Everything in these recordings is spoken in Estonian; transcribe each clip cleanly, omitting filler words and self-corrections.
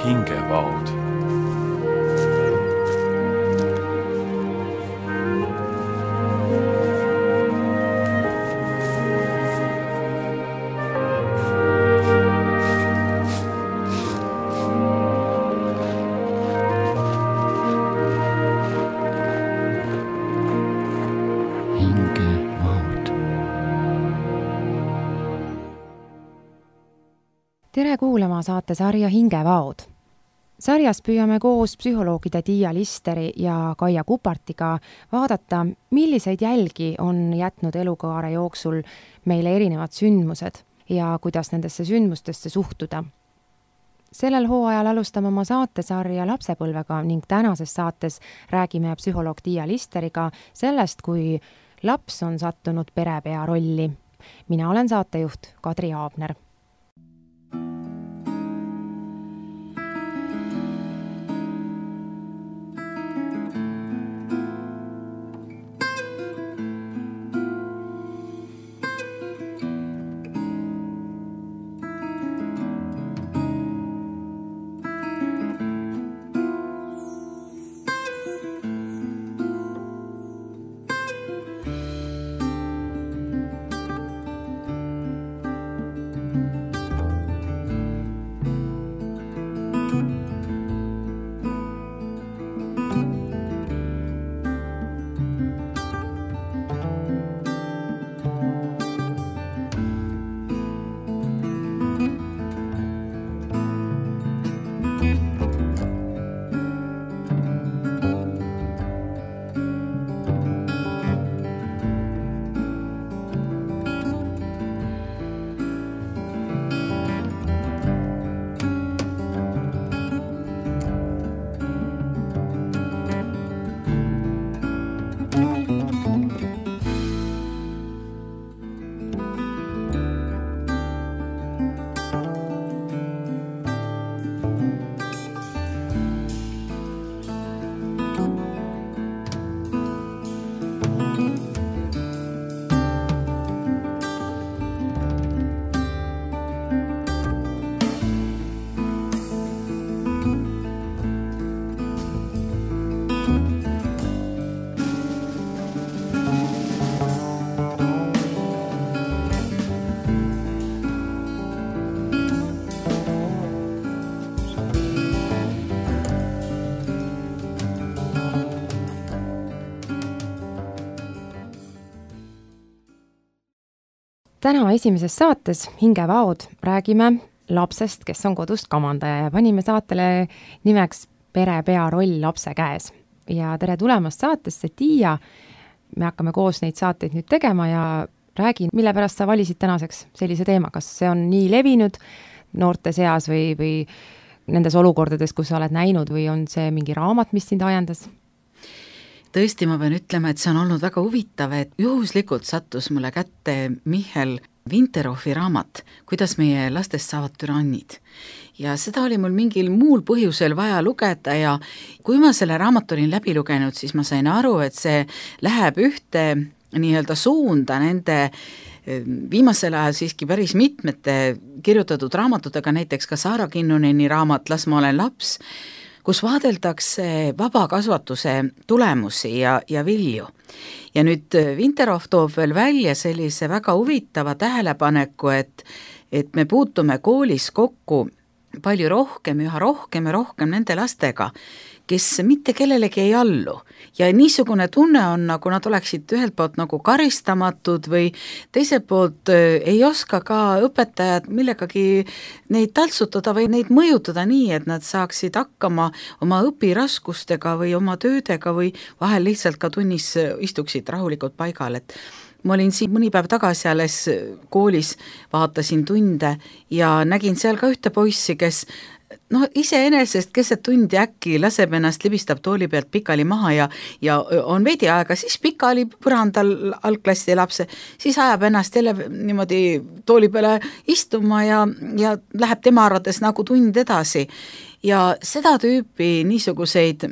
hingevaod. Tere kuulama saatesarja Hingevaod. Sarjas püüame koos psühholoogide Tiia Listeri ja Kaia Kupartiga vaadata, milliseid jälgi on jätnud elukaare jooksul meile erinevad sündmused ja kuidas nendesse sündmustesse suhtuda. Sellel hooajal alustame oma saatesarja lapsepõlvega ning tänases saates räägime psühholoog Tiia Listeriga sellest, kui laps on sattunud perepea rolli. Mina olen saatejuht Kadri Aabner. Täna esimeses saates Hingevaod räägime lapsest, kes on kodust kamandaja ja panime saatele nimeks perepea roll lapse käes. Ja tere tulemast saatesse, Tiia. Me hakkame koos neid saateid nüüd tegema ja räägin, mille pärast sa valisid tänaseks sellise teema. Kas see on nii levinud noorte seas või nendes olukordades, kus sa oled näinud või on see mingi raamat, mis sind ajendas? Tõesti, ma pean ütlema, et see on olnud väga huvitav, et juhuslikult sattus mulle kätte Michel Vinterhofi raamat, kuidas meie lastest saavad türannid. Ja seda oli mul mingil muul põhjusel vaja lugeda ja kui ma selle raamat olin läbi lugenud, siis ma sain aru, et see läheb ühte nii-öelda suunda nende viimasel ajal siiski päris mitmete kirjutatud raamatutega, näiteks ka Saara Kinnuneni raamat Las ma olen laps, kus vaadeldakse vabakasvatuse tulemusi ja vilju. Ja nüüd Vinterhof toob veel välja sellise väga huvitava tähelepaneku, et me puutume koolis kokku palju rohkem, üha rohkem ja rohkem nende lastega, kes mitte kellelegi ei allu. Ja niisugune tunne on, nagu nad oleksid ühelt poolt nagu karistamatud või teiselt poolt ei oska ka õpetajad millegagi neid taltsutada või neid mõjutada nii, et nad saaksid hakkama oma õpiraskustega või oma töödega või vahel lihtsalt ka tunnis istuksid rahulikult paigal, et ma olin siin mõni päev tagasi alles koolis, vaatasin tunde ja nägin seal ka ühte poissi, kes iseenesest keset tundi äkki laseb ennast, libistab tooli pealt pikali maha ja on veidi aega, siis pikali põrandal algklassi lapse, siis ajab ennast jälle niimoodi tooli peale istuma ja läheb tema arvates nagu tund edasi. Ja seda tüüpi niisuguseid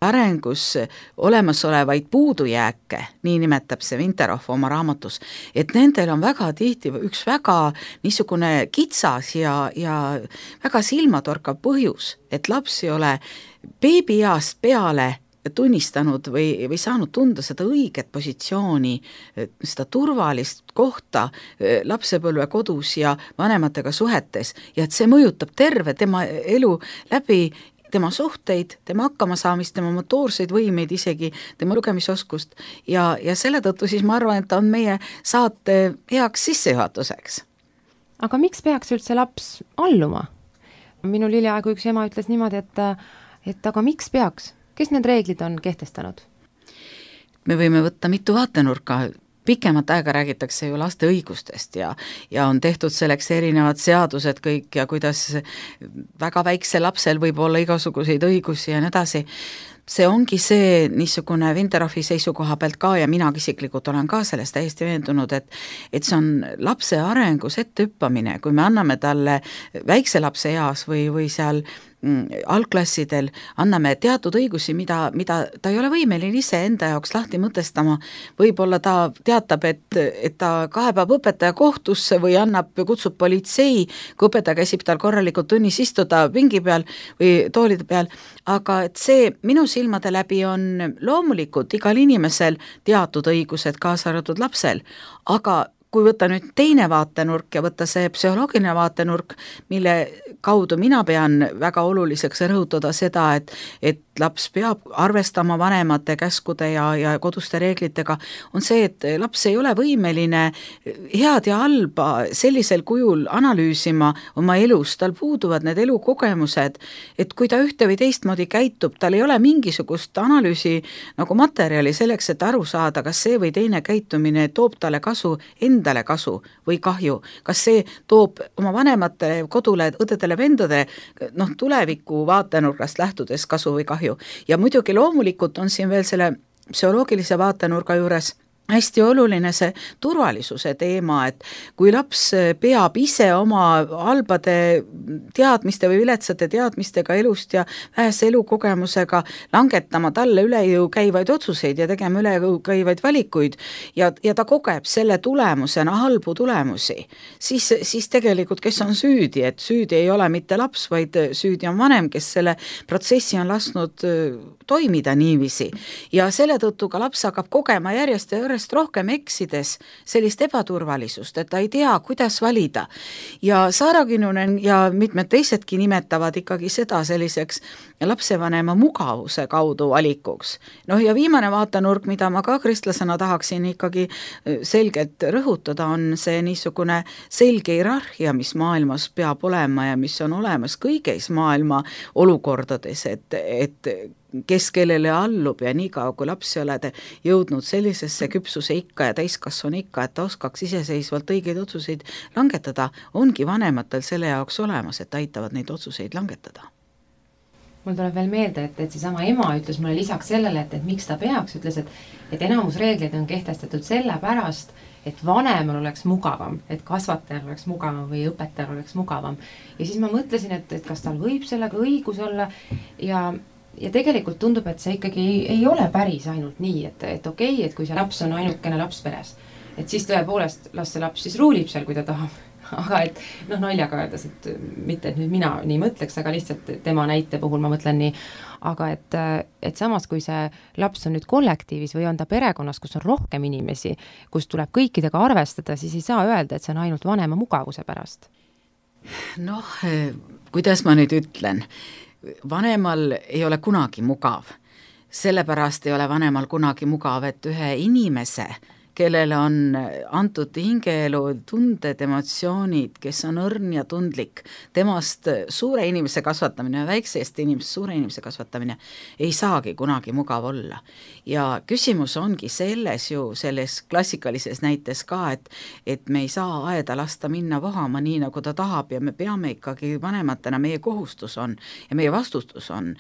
arengus olemasolevaid puudujääke, nii nimetab see Vinterhoff oma raamatus, et nendel on väga tihti üks väga niisugune kitsas ja väga silmatorkav põhjus, et laps ei ole beebieast peale tunnistanud või saanud tunda seda õiget positsiooni, seda turvalist kohta lapsepõlve kodus ja vanematega suhetes ja et see mõjutab terve tema elu läbi, tema suhteid, tema hakkamasaamist, tema motoorseid võimeid, isegi tema lugemisoskust ja selle tõttu siis ma arvan, et ta on meie saate heaks sissejuhatuseks. Aga miks peaks üldse laps alluma? Minul hiljaaegu üks ema ütles niimoodi, et aga miks peaks? Kes need reeglid on kehtestanud? Me võime võtta mitu vaatenurka. Pikemat aega räägitakse ju laste õigustest ja on tehtud selleks erinevad seadused kõik ja kuidas väga väikse lapsel võib olla igasuguseid õigusi ja nii edasi. See ongi see niisugune Vinterhoffi seisukoha pealt ka ja mina isiklikult olen ka sellest täiesti veendunud, et see on lapse arengus ettehüppamine, kui me anname talle väikse lapse eas või seal algklassidel anname teatud õigusi, mida ta ei ole võimeline ise enda jaoks lahti mõtestama, võib-olla ta teatab, et ta kaebab õpetaja kohtusse või kutsub politsei, kui õpetaja käsib tal korralikult tunnis istuda pingi peal või toolide peal, aga et see minu silmade läbi on loomulikult igal inimesel teatud õigused, kaasa arvatud lapsel, aga kui võtta nüüd teine vaatenurk ja võtta see psühholoogiline vaatenurk, mille kaudu mina pean väga oluliseks rõhutada seda, et laps peab arvestama vanemate käskude ja koduste reeglitega, on see, et laps ei ole võimeline head ja halba sellisel kujul analüüsima oma elus, tal puuduvad need elukogemused, et kui ta ühte või teistmoodi käitub, tal ei ole mingisugust analüüsi nagu materjali selleks, et aru saada, kas see või teine käitumine toob talle kasu, endale kasu või kahju, kas see toob oma vanematele, kodule, õdedele, vendade tuleviku vaatenurgast lähtudes kasu või kahju. Ja muidugi loomulikult on siin veel selle psühholoogilise vaatenurga juures hästi oluline see turvalisuse teema, et kui laps peab ise oma halbade teadmiste või viletsate teadmistega elust ja vähese elukogemusega langetama talle üle jõu käivaid otsuseid ja tegema üle jõu käivaid valikuid ja ta kogeb selle tulemusena halbu tulemusi, siis tegelikult kes on süüdi, et süüdi ei ole mitte laps, vaid süüdi on vanem, kes selle protsessi on lasknud toimida niiviisi ja selle tõttu ka laps hakkab kogema järjest ja rohkem eksides sellist ebaturvalisust, et ta ei tea, kuidas valida. Ja Saara Kinnunen ja mitmed teisedki nimetavad ikkagi seda selliseks lapsevanema mugavuse kaudu valikuks. Ja viimane vaatenurk, mida ma ka kristlasena tahaksin ikkagi selgelt rõhutada, on see niisugune selge hierarhia, mis maailmas peab olema ja mis on olemas kõigis maailma olukordades, et kes kellele allub ja nii kaua, kui lapsi oled jõudnud sellisesse küpsuse ikka ja täiskasvanu ikka, et ta oskaks iseseisvalt õigeid otsuseid langetada, ongi vanematel selle jaoks olemas, et aitavad neid otsuseid langetada. Mul tuleb veel meelde, et seesama ema ütles mulle lisaks sellele, et miks ta peaks, ütles, et enamus reegleid on kehtestatud sellepärast, et vanemal oleks mugavam, et kasvatajal oleks mugavam või õpetajal oleks mugavam. Ja siis ma mõtlesin, et kas tal võib sellega õigus olla ja tegelikult tundub, et see ikkagi ei ole päris ainult nii, et okei, et kui see laps on ainukene laps peres, et siis tõepoolest las see laps siis ruulib seal, kui ta tahab. Aga et naljaga öeldes, et mitte, et nüüd mina nii mõtleks, aga lihtsalt tema näite puhul ma mõtlen nii, aga et samas, kui see laps on nüüd kollektiivis või on ta perekonnas, kus on rohkem inimesi, kus tuleb kõikidega arvestada, siis ei saa öelda, et see on ainult vanema mugavuse pärast. Kuidas ma nüüd ütlen? Vanemal ei ole kunagi mugav, sellepärast ei ole vanemal kunagi mugav, et ühe inimese, kellele on antud hingeelu, tunded, emotsioonid, kes on õrn ja tundlik, temast suure inimese kasvatamine, väiksest inimesest suure inimese kasvatamine ei saagi kunagi mugav olla. Ja küsimus ongi selles klassikalises näites ka, et me ei saa aeda lasta minna vohama nii, nagu ta tahab ja me peame ikkagi vanematena, meie kohustus on ja meie vastutus on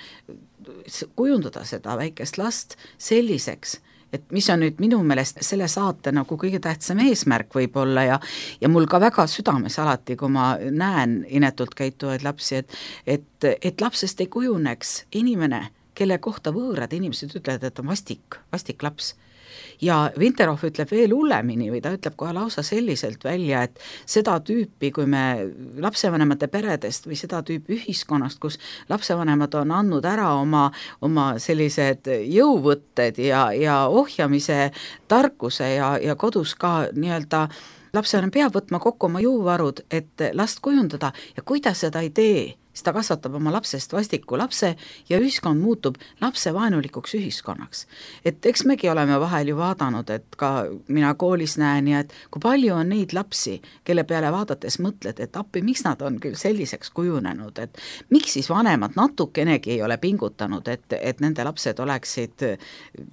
kujundada seda väikest last selliseks, et mis on nüüd minu meelest selle saate nagu kõige tähtsam eesmärk võib-olla ja mul ka väga südames alati, kui ma näen inetult käituvaid lapsi, et lapsest ei kujuneks inimene, kelle kohta võõrad inimesed ütlevad, et on vastik laps. Ja Vinterhoff ütleb veel hullemini või ta ütleb kohe lausa selliselt välja, et seda tüüpi, kui me lapsevanemate peredest või seda tüüpi ühiskonnast, kus lapsevanemad on andnud ära oma sellised jõuvõtted ja ohjamise tarkuse ja kodus ka nii-öelda lapsevanem peab võtma kokku oma jõuvarud, et last kujundada ja kui ta seda ei tee, siis ta kasvatab oma lapsest vastiku lapse ja ühiskond muutub lapsevaenulikuks ühiskonnaks. Et eks megi oleme vahel ju vaadanud, et ka mina koolis näen ja et kui palju on neid lapsi, kelle peale vaadates mõtled, et appi, miks nad on küll selliseks kujunenud, et miks siis vanemad natukenegi ei ole pingutanud, et nende lapsed oleksid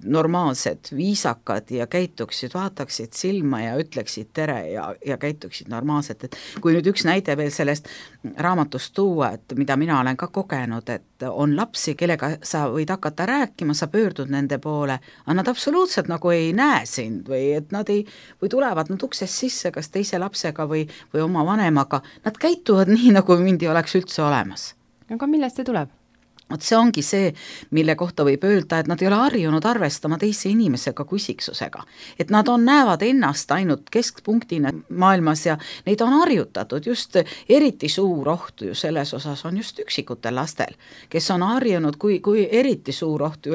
normaalsed, viisakad ja käituksid, vaataksid silma ja ütleksid tere ja käituksid normaalselt. Et kui nüüd üks näide veel sellest raamatust tuua, et mida mina olen ka kogenud, et on lapsi, kellega sa võid hakata rääkima, sa pöördud nende poole, aga nad absoluutselt nagu ei näe sind või et nad ei, või tulevad nad uksest sisse kas teise lapsega või oma vanemaga, nad käituvad nii, nagu mind ei oleks üldse olemas. Aga millest see tuleb? Vot see ongi see, mille kohta võib öelda, et nad ei ole harjunud arvestama teise inimesega kui isiksusega. Et nad näevad ennast ainult keskpunktina maailmas ja neid on harjutatud just eriti suur oht ju selles osas on just üksikutel lastel, kes on harjunud, kui eriti suur oht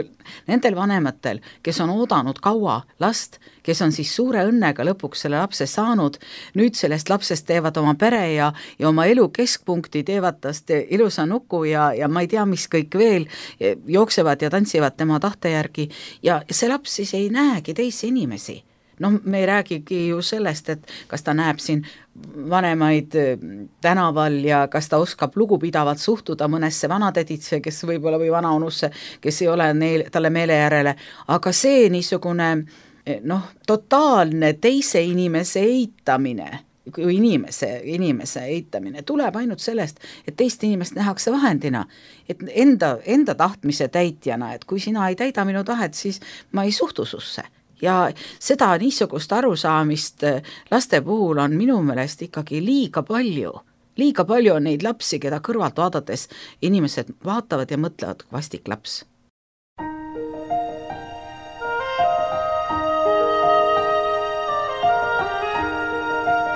nendel vanematel, kes on oodanud kaua last, kes on siis suure õnnega lõpuks selle lapse saanud, nüüd sellest lapsest teevad oma pere ja oma elu keskpunkti, teevad tast ilusa nuku ja ma ei tea, mis kõik veel jooksevad ja tantsivad tema tahte järgi ja see laps siis ei näegi teisi inimesi. No me ei räägigi ju sellest, et kas ta näeb siin vanemaid tänaval ja kas ta oskab lugupidavalt suhtuda mõnesse vanatäditse, kes võib-olla või vanaonusse, kes ei ole talle meele järele, aga see niisugune totaalne teise inimese eitamine, kui inimese eitamine tuleb ainult sellest, et teist inimest nähakse vahendina, et enda tahtmise täitjana, et kui sina ei täida minu tahet, siis ma ei suhtu susse. Ja seda niisugust arusaamist laste puhul on minu meelest ikkagi liiga palju. Liiga palju on neid lapsi, keda kõrvalt vaadates inimesed vaatavad ja mõtlevad vastik laps.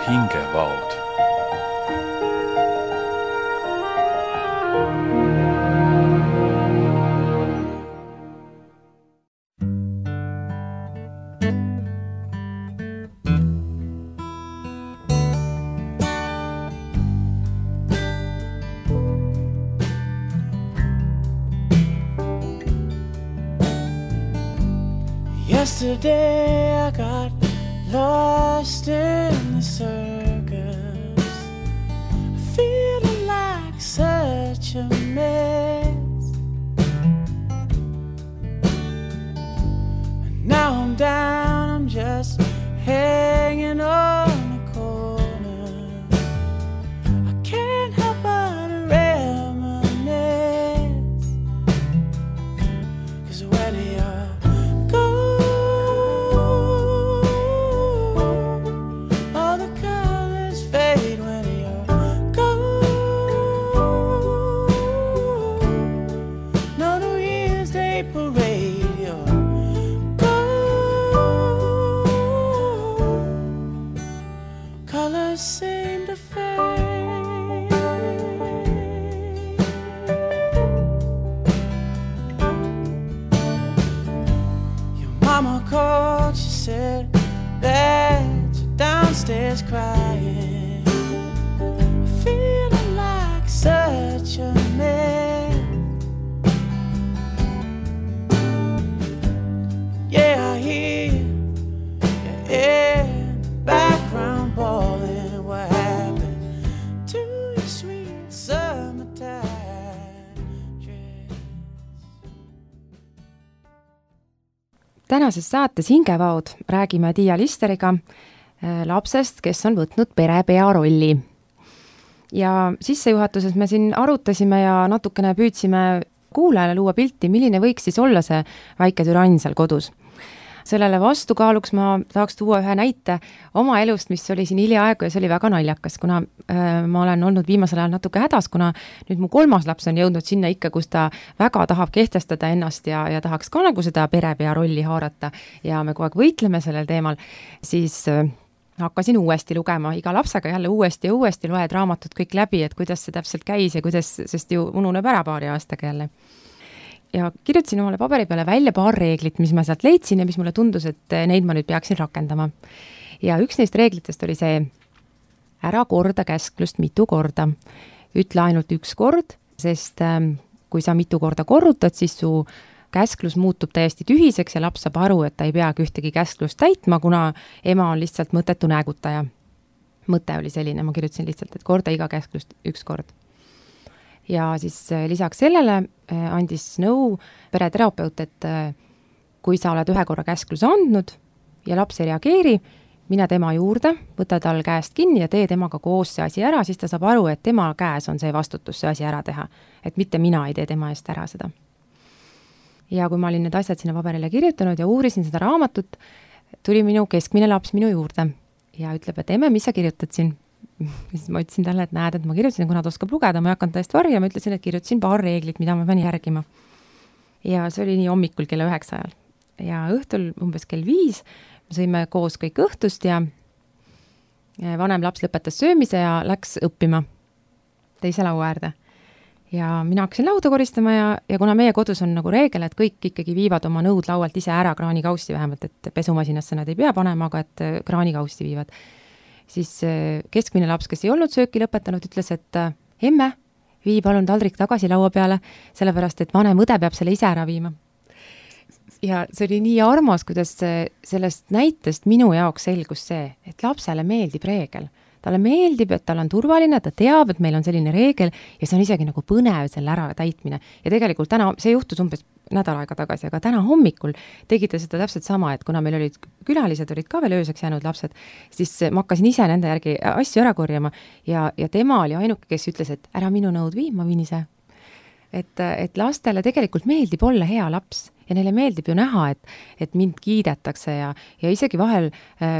Hingevaod. Yesterday I got lost in the circus, feeling like such a mess. And now I'm down, I'm just hanging on the corner. I can't help but reminisce, 'cause where they are seem to fade. Your mama called, she said that you're downstairs crying, feeling like such a mess. Yeah, I hear you in the background bawling. Tänases saates Hingevaod räägime Tiia Listeriga lapsest, kes on võtnud perepea rolli. Ja sissejuhatuses me siin arutasime ja natukene püüdsime kuulajale luua pilti, milline võiks siis olla see väike türann seal kodus. sellele vastukaaluks ma tahaks tuua ühe näite oma elust, mis oli siin hiljaaegu ja see oli väga naljakas, kuna ma olen olnud viimasel ajal natuke hädas, kuna nüüd mu 3. laps on jõudnud sinna ikka, kus ta väga tahab kehtestada ennast ja tahaks ka nagu seda perepea rolli haarata ja me kogu aeg võitleme sellel teemal, siis hakkasin uuesti lugema, iga lapsega jälle uuesti ja uuesti loed raamatud kõik läbi, et kuidas see täpselt käis ja kuidas, sest ju ununeb ära paari aastaga jälle. Ja kirjutasin omale paberi peale välja paar reeglit, mis ma sealt leidsin ja mis mulle tundus, et neid ma nüüd peaksin rakendama. Ja üks neist reeglitest oli see, ära korda käsklust mitu korda. Ütle ainult üks kord, sest kui sa mitu korda korrutad, siis su käsklus muutub täiesti tühiseks ja laps saab aru, et ta ei peagi ühtegi käsklust täitma, kuna ema on lihtsalt mõttetu näägutaja. Mõte oli selline, ma kirjutasin lihtsalt, et korda iga käsklust üks kord. Ja siis lisaks sellele andis nõu pereterapeut, et kui sa oled ühe korra käskluse andnud ja laps ei reageeri, mine tema juurde, võta tal käest kinni ja tee temaga koos see asi ära, siis ta saab aru, et tema käes on see vastutus see asi ära teha. Et mitte mina ei tee tema eest ära seda. Ja kui ma olin need asjad sinna paberile kirjutanud ja uurisin seda raamatut, tuli minu keskmine laps minu juurde ja ütleb, et emme, mis sa kirjutad siin? Siis ma ütlesin talle, et näed, et ma kirjutasin, kuna ta oskab lugeda, ma ei hakanud täiesti varja, ma ütlesin, et kirjutasin paar reeglit, mida ma pean järgima. Ja see oli nii hommikul kella 9 ajal. Ja õhtul umbes kell 5 me sõime koos kõik õhtust ja vanem laps lõpetas söömise ja läks õppima teise laua äärde. Ja mina hakkasin lauda koristama ja kuna meie kodus on nagu reegel, et kõik ikkagi viivad oma nõud laualt ise ära kraanikaussi vähemalt, et pesumasinasse nad ei pea panema, aga et kraanikaussi viivad. Siis keskmine laps, kes ei olnud sööki lõpetanud, ütles, et emme, vii palun taldrik tagasi laua peale, sellepärast, et vanem õde peab selle ise ära viima. Ja see oli nii armas, kuidas sellest näitest minu jaoks selgus see, et lapsele meeldib reegel. Talle meeldib, et tal on turvaline, ta teab, et meil on selline reegel ja see on isegi nagu põnev selle ära täitmine. Ja tegelikult täna, see juhtus umbes nädal aega tagasi, aga täna hommikul tegite seda täpselt sama, et kuna meil olid külalised, olid ka veel ööseks jäänud lapsed, siis ma hakkasin ise nende järgi asju ära korjama ja tema oli ainuke, kes ütles, et ära minu nõud vii, ma viin ise. Et lastele tegelikult meeldib olla hea laps ja neile meeldib ju näha, et mind kiidetakse ja isegi vahel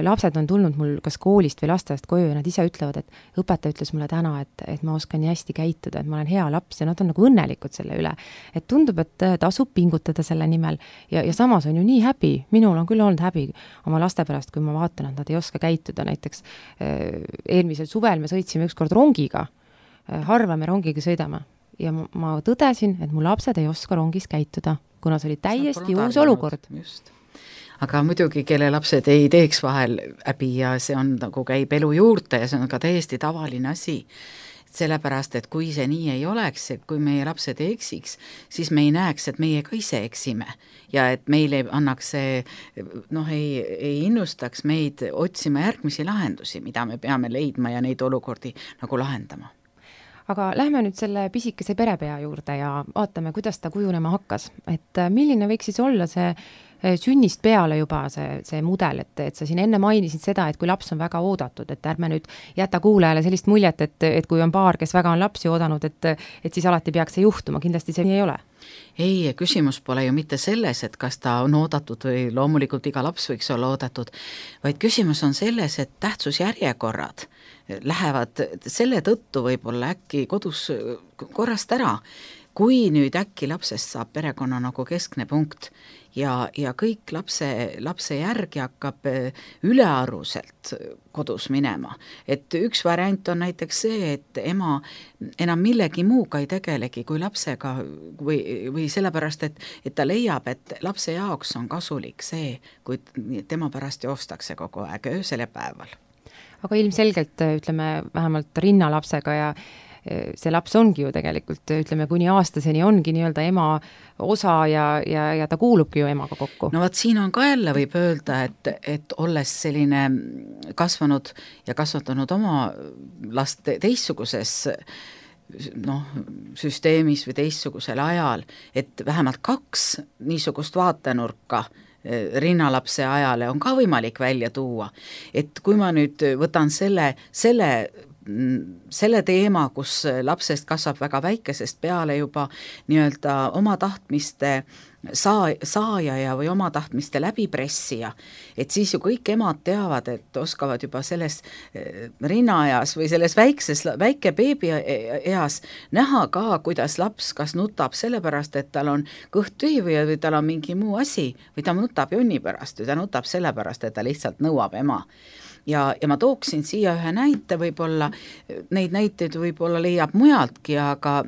lapsed on tulnud mul kas koolist või lasteaiast koju ja nad ise ütlevad, et õpetaja ütles mulle täna, et ma oskan nii hästi käituda, et ma olen hea laps ja nad on nagu õnnelikud selle üle. Et tundub, et tasub pingutada selle nimel ja samas on ju nii häbi, minul on küll olnud häbi oma laste pärast, kui ma vaatan, et nad ei oska käituda. Näiteks eelmisel suvel me sõitsime ükskord rongiga, harva me rongiga sõidame ja ma tõdesin, et mu lapsed ei oska rongis käituda, kuna see oli täiesti uus olukord. Just. Aga muidugi, kelle lapsed ei teeks vahel häbi ja see on nagu käib elu juurde ja see on ka täiesti tavaline asi. Sellepärast, et kui see nii ei oleks, et kui meie lapsed ei eksiks, siis me ei näeks, et meie ka ise eksime ja et meile annaks see, ei innustaks meid otsima järgmisi lahendusi, mida me peame leidma ja neid olukordi nagu lahendama. Aga lähme nüüd selle pisikese perepea juurde ja vaatame, kuidas ta kujunema hakkas. Et milline võiks siis olla see sünnist peale juba see mudel, et sa siin enne mainisid seda, et kui laps on väga oodatud, et ärme nüüd jäta kuulajale sellist muljet, et kui on paar, kes väga on lapsi oodanud, et siis alati peaks see juhtuma, kindlasti see nii ei ole. Ei, küsimus pole ju mitte selles, et kas ta on oodatud või loomulikult iga laps võiks olla oodatud, vaid küsimus on selles, et tähtsusjärjekorrad lähevad selle tõttu võib-olla äkki kodus korrast ära, kui nüüd äkki lapsest saab perekonna nagu keskne punkt ja kõik lapse järgi hakkab ülearuselt kodus minema. Et üks variant on näiteks see, et ema enam millegi muuga ei tegelegi kui lapsega või sellepärast, et ta leiab, et lapse jaoks on kasulik see, kui tema pärast joostakse kogu aeg öösel ja päeval. Aga ilmselgelt, ütleme, vähemalt rinnalapsega ja see laps ongi ju tegelikult, ütleme, kuni aastaseni ongi nii-öelda ema osa ja ta kuulubki ju emaga kokku. No vaat siin on ka jälle võib öelda, et olles selline kasvanud ja kasvatanud oma last teistsuguses süsteemis või teistsugusel ajal, et vähemalt 2 niisugust vaatenurka rinnalapse ajale on ka võimalik välja tuua. Et kui ma nüüd võtan selle selle teema, kus lapsest kasvab väga väikesest peale juba nii-öelda oma tahtmiste saaja ja või oma tahtmiste läbipressija, et siis ju kõik emad teavad, et oskavad juba selles rinnaeas või selles väike beebi eas näha ka, kuidas laps kas nutab sellepärast, et tal on kõht tühi või tal on mingi muu asi või ta nutab jonni pärast või ta nutab sellepärast, et ta lihtsalt nõuab ema. Ja ma tooksin siia ühe näite, võib-olla neid näiteid võib-olla leiab mujaltki, aga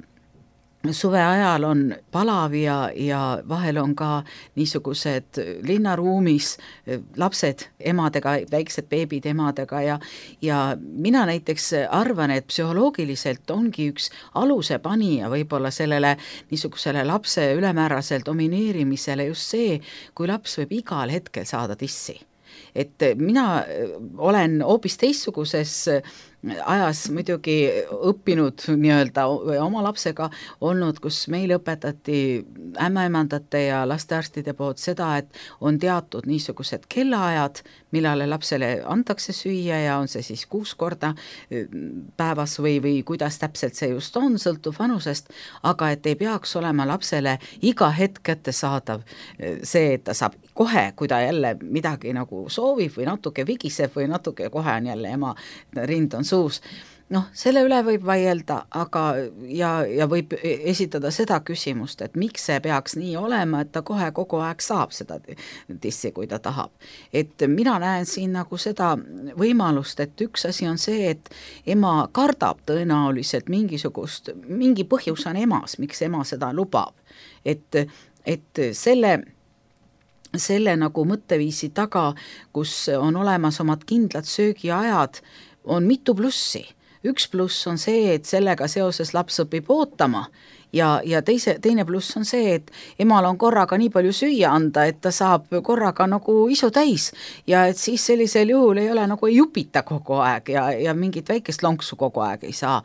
suve ajal on palav ja vahel on ka niisugused linnaruumis lapsed emadega, väiksed beebid emadega ja mina näiteks arvan, et psühholoogiliselt ongi üks aluse panija võib-olla sellele niisugusele lapse ülemääraselt domineerimisele just see, kui laps võib igal hetkel saada tissi. Et mina olen hoopis teistsuguses ajas muidugi õppinud nii-öelda oma lapsega olnud, kus meil õpetati ämmaemandate ja lastearstide poolt seda, et on teatud niisugused kellaajad, millale lapsele antakse süüa ja on see siis 6 korda päevas või kuidas täpselt see just on, sõltub vanusest, aga et ei peaks olema lapsele iga hetk kättesaadav see, et ta saab kohe, kui ta jälle midagi nagu soovib või natuke vigiseb või natuke kohe on jälle ema rind on suus. Noh, selle üle võib vaielda, aga ja võib esitada seda küsimust, et miks see peaks nii olema, et ta kohe kogu aeg saab seda tissi, kui ta tahab. Et mina näen siin nagu seda võimalust, et üks asi on see, et ema kardab tõenäoliselt mingi põhjus on emas, miks ema seda lubab. Et selle nagu mõtteviisi taga, kus on olemas omad kindlad söögiajad, on mitu plussi. Üks pluss on see, et sellega seoses laps õpib ootama ja teine pluss on see, et emal on korraga nii palju süüa anda, et ta saab korraga nagu isu täis ja et siis sellisel juhul ei ole nagu ei jupita kogu aeg ja mingit väikest lonksu kogu aeg ei saa.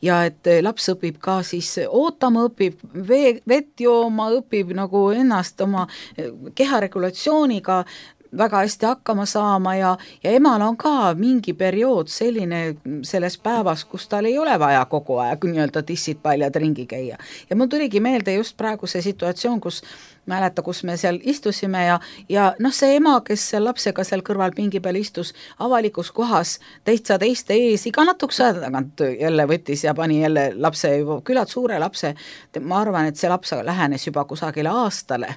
Ja et laps õpib ka siis ootama, õpib vett jooma, õpib nagu ennast oma keharegulatsiooniga väga hästi hakkama saama ja emal on ka mingi periood selline selles päevas, kus tal ei ole vaja kogu aeg nii-öelda tissid paljad ringi käia. Ja mul tuligi meelde just praegu see situatsioon, kus mäleta, kus me seal istusime ja noh, see ema, kes seal lapsega seal kõrval pingi peal istus avalikus kohas teiste ees iga natukese aja tagant jälle võttis ja pani jälle lapse, küllalt suure lapse, ma arvan, et see laps lähenes juba kusagile aastale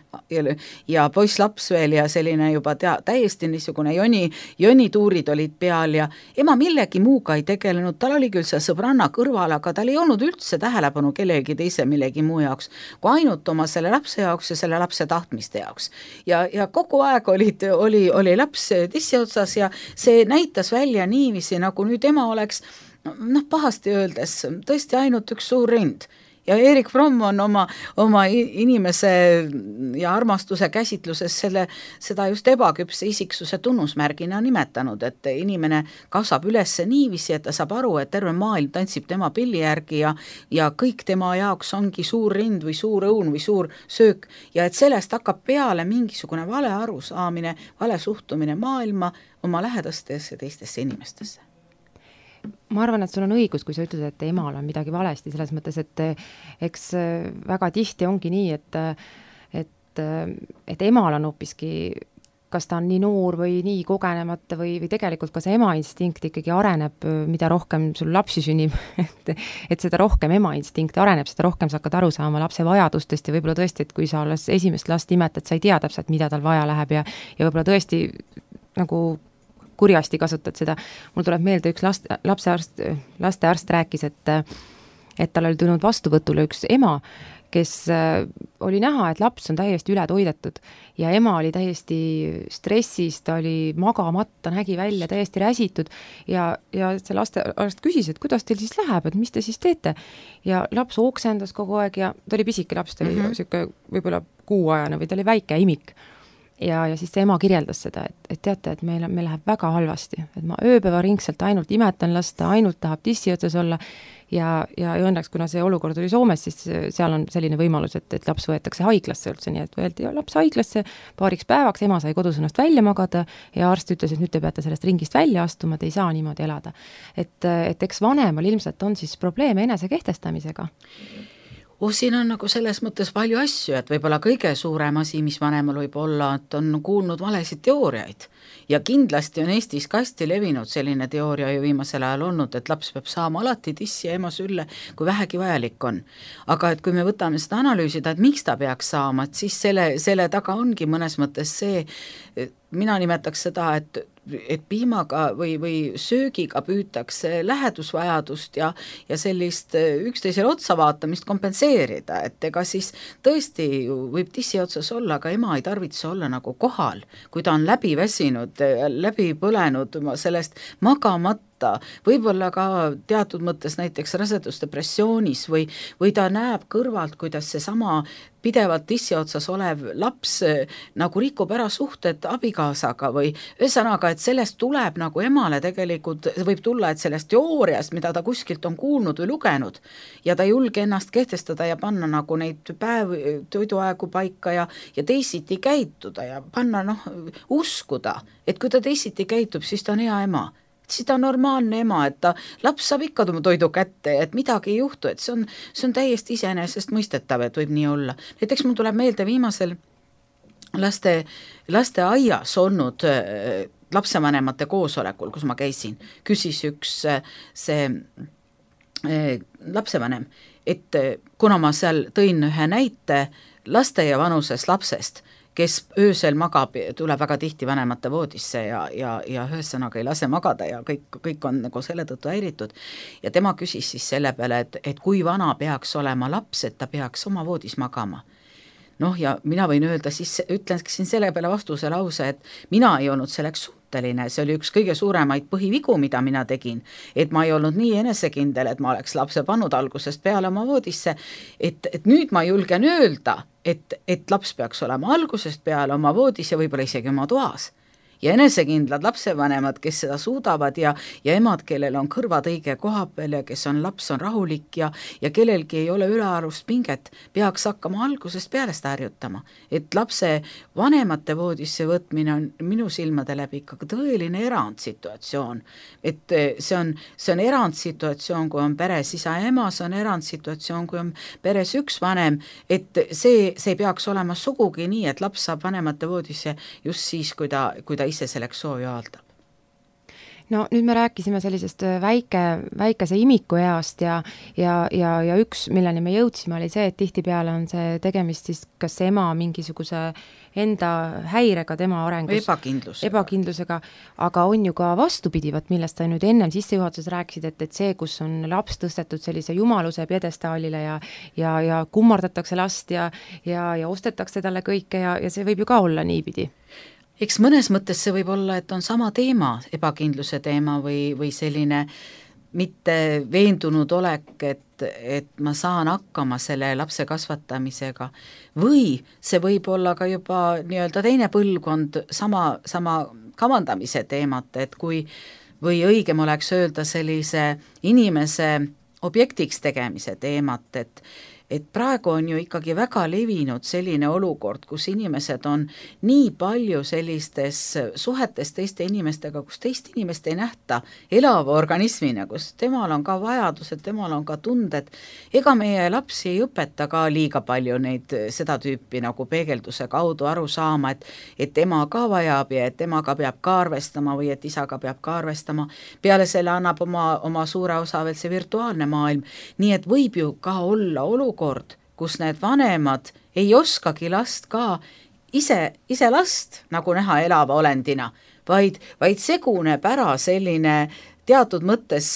ja poisslaps veel ja selline juba täiesti niisugune jonituurid olid peal ja ema millegi muuga ei tegelenud, tal oli küll see sõbranna kõrval, aga tal ei olnud üldse tähelepanu kellegi teise millegi muu jaoks, kui ainult oma selle lapse jaoks ja selle lapse tahtmiste jaoks. Ja kogu aeg oli laps tissi otsas ja see näitas välja niiviisi, nagu nüüd ema oleks, pahasti öeldes, tõesti ainult üks suur rind. Ja Erik Fromm on oma inimese ja armastuse käsitluses seda just ebaküpse isiksuse tunnusmärgina nimetanud, et inimene kasvab üles niiviisi, et ta saab aru, et terve maailm tantsib tema pilli järgi ja kõik tema jaoks ongi suur rind või suur õun või suur söök ja et sellest hakkab peale mingisugune vale arusaamine, vale suhtumine maailma, oma lähedastesse ja teistesse inimestesse. Ma arvan, et sul on õigus, kui sa ütled, et emal on midagi valesti, selles mõttes, et eks väga tihti ongi nii, et emal on hoopiski, kas ta on nii noor või nii kogenemata või tegelikult ka see ema instinkt ikkagi areneb, mida rohkem sul lapsi sünnib, et seda rohkem ema instinkt areneb, seda rohkem sa hakkad aru saama lapse vajadustest ja võib-olla tõesti, et kui sa alles esimest last imetad, sa ei tea täpselt, mida tal vaja läheb ja võib-olla tõesti nagu kurjasti kasutad seda. Mul tuleb meelde üks lastearst rääkis, et tal oli tulnud vastuvõtule üks ema, kes oli näha, et laps on täiesti üle toidetud ja ema oli täiesti stressis, ta oli magamatta, nägi välja täiesti räsitud ja see lastearst küsis, et kuidas teil siis läheb, et mis te siis teete? Ja laps oksendas kogu aeg ja ta oli pisike laps, ta oli siuke võib-olla kuuajane või ta oli väike imik. ja siis see ema kirjeldas seda, et teate, et meil läheb väga halvasti, et ma ööpäevaringselt ainult imetan lasta, ainult tahab tissi otsas olla ja õnneks, kuna see olukord oli Soomes, siis seal on selline võimalus, et laps võetakse haiglasse üldse, nii et võeldi laps haiglasse paariks päevaks, ema sai kodus ennast välja magada ja arst ütles, et nüüd te peate sellest ringist välja astuma, te ei saa niimoodi elada. Et eks vanemal ilmselt on siis probleeme enese kehtestamisega. Siin on nagu selles mõttes palju asju, et võib-olla kõige suurem asi, mis vanemal võib olla, et on kuulnud valesid teooriaid. Ja kindlasti on Eestis ka hästi levinud selline teooria ju viimasel ajal olnud, et laps peab saama alati tissi ja ema sülle, kui vähegi vajalik on. Aga et kui me võtame seda analüüsida, et miks ta peaks saama, et siis selle taga ongi mõnes mõttes see, mina nimetaks seda, et piimaga või söögiga püütakse lähedusvajadust ja sellist üksteisele otsa vaatamist kompenseerida, et ega siis tõesti võib tissi otsas olla, aga ema ei tarvitse olla nagu kohal, kui ta on läbi väsinud, läbi põlenud sellest magamata, võib-olla ka teatud mõttes näiteks rasedusdepressioonis või ta näeb kõrvalt, kuidas seesama pidevalt tissi otsas olev laps nagu rikub ära suhted abikaasaga või ühesõnaga, et sellest tuleb nagu emale tegelikult, võib tulla, et sellest teooriast, mida ta kuskilt on kuulnud või lugenud ja ta ei julge ennast kehtestada ja panna nagu neid toiduaegu paika ja teisiti käituda ja panna uskuda, et kui ta teisiti käitub, siis ta on hea ema. Siis ta on normaalne ema, et laps saab ikka oma toidu kätte, et midagi ei juhtu, et see on täiesti iseenesest mõistetav, et võib nii olla. Näiteks mul tuleb meelde viimasel laste aias olnud lapsevanemate koosolekul, kus ma käisin, küsis üks see lapsevanem, et kuna ma seal tõin ühe näite laste ja vanuses lapsest, kes öösel magab, tuleb väga tihti vanemate voodisse ja ühesõnaga ei lase magada ja kõik on nagu selle tõttu häiritud. Ja tema küsis siis selle peale, et kui vana peaks olema laps, et ta peaks oma voodis magama. Ja mina võin öelda, siis ütlengi selle peale vastuse lause, et mina ei olnud selleks suhteline, see oli üks kõige suuremaid põhivigu, mida mina tegin, et ma ei olnud nii enesekindel, et ma oleks lapse pannud algusest peale oma voodisse, et nüüd ma julgen öelda, et laps peaks olema algusest peale oma voodis ja võib-olla isegi oma toas. Ja enesekindlad lapsevanemad, kes seda suudavad ja emad, kellel on kõrvad õige koha peal ja kes laps on rahulik ja kellelgi ei ole ülearust pinget, peaks hakkama algusest peale seda harjutama. Et lapse vanemate voodisse võtmine on minu silmade läbi ikka tõeline erandsituatsioon. Et see on erandsituatsioon, kui on peres isa ja ema, see on erandsituatsioon, kui on peres üks vanem, et see ei peaks olema sugugi nii, et laps saab vanemate voodisse just siis, kui ta ise selleks soovi avaldab. No nüüd me rääkisime sellisest väikese imiku east ja üks, milleni me jõudsime, oli see, et tihtipeale on see tegemist siis kas ema mingisuguse enda häirega tema arengus. Ebakindlusega, aga on ju ka vastupidivat, millest sa nüüd ennem sissejuhatuses rääkisid, et see, kus on laps tõstetud sellise jumaluse pjedestaalile ja kummardatakse last ja ostetakse talle kõike ja see võib ju ka olla niipidi. Eks mõnes mõttes see võib olla, et on sama teema, ebakindluse teema või selline mitte veendunud olek, et ma saan hakkama selle lapse kasvatamisega või see võib olla ka juba nii-öelda teine põlvkond sama kavandamise teemat, et või õigem oleks öelda sellise inimese objektiks tegemise teemat, et praegu on ju ikkagi väga levinud selline olukord, kus inimesed on nii palju sellistes suhetes teiste inimestega, kus teist inimest ei nähta elava organismina, kus temal on ka vajadused, temal on ka tunded. Ega meie lapsi ei õpeta ka liiga palju neid seda tüüpi nagu peegelduse kaudu aru saama, et ema ka vajab ja et emaga peab ka arvestama või et isaga peab ka arvestama. Peale selle annab oma suure osa veel see virtuaalne maailm. Nii et võib ju ka olla olukord, kus need vanemad ei oskagi last ka ise last nagu näha elava olendina, vaid seguneb ära selline teatud mõttes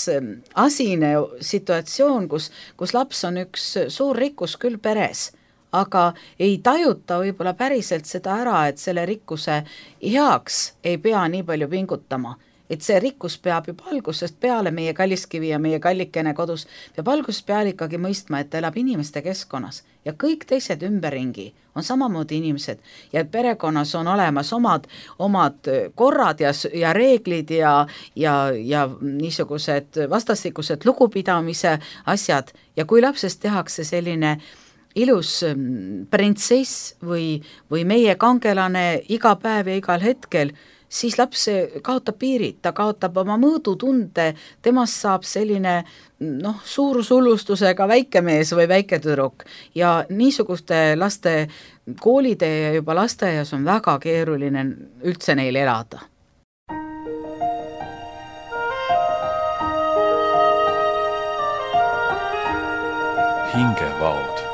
asine situatsioon, kus laps on üks suur rikkus küll peres, aga ei tajuta võib-olla päriselt seda ära, et selle rikkuse heaks ei pea nii palju pingutama. et see rikkus peab juba algusest peale, meie kalliskivi ja meie kallikene kodus, peab algusest peale ikkagi mõistma, et ta elab inimeste keskkonnas ja kõik teised ümberringi on samamoodi inimesed ja perekonnas on olemas omad korrad ja reeglid ja niisugused vastastikused lugupidamise asjad ja kui lapsest tehakse selline ilus printsess või meie kangelane iga päev ja igal hetkel, siis laps kaotab piirid, ta kaotab oma mõõdutunde, temast saab selline suurusullustusega väikemees või väiketüdruk ja niisuguste laste koolide ja juba lasteaias on väga keeruline üldse neil elada. Hingevaod.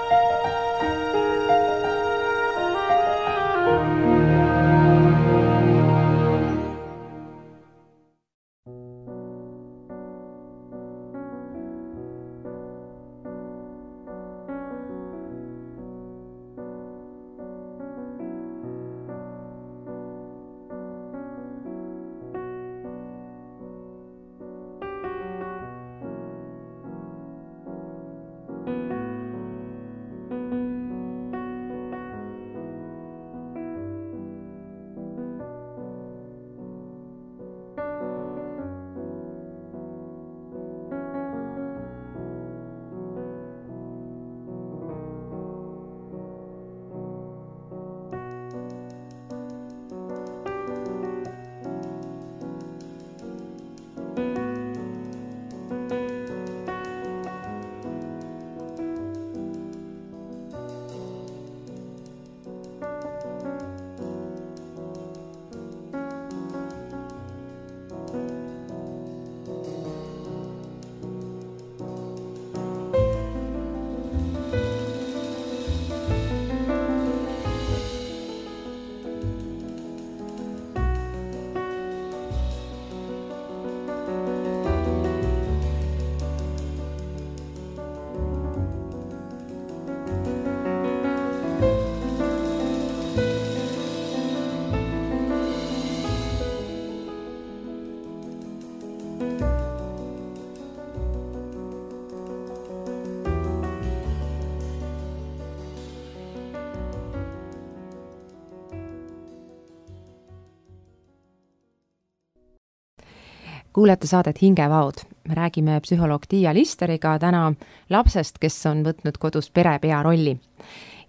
Kuulete saadet Hingevaod. Me räägime psühholoog Tiia Listeriga täna lapsest, kes on võtnud kodus perepea rolli.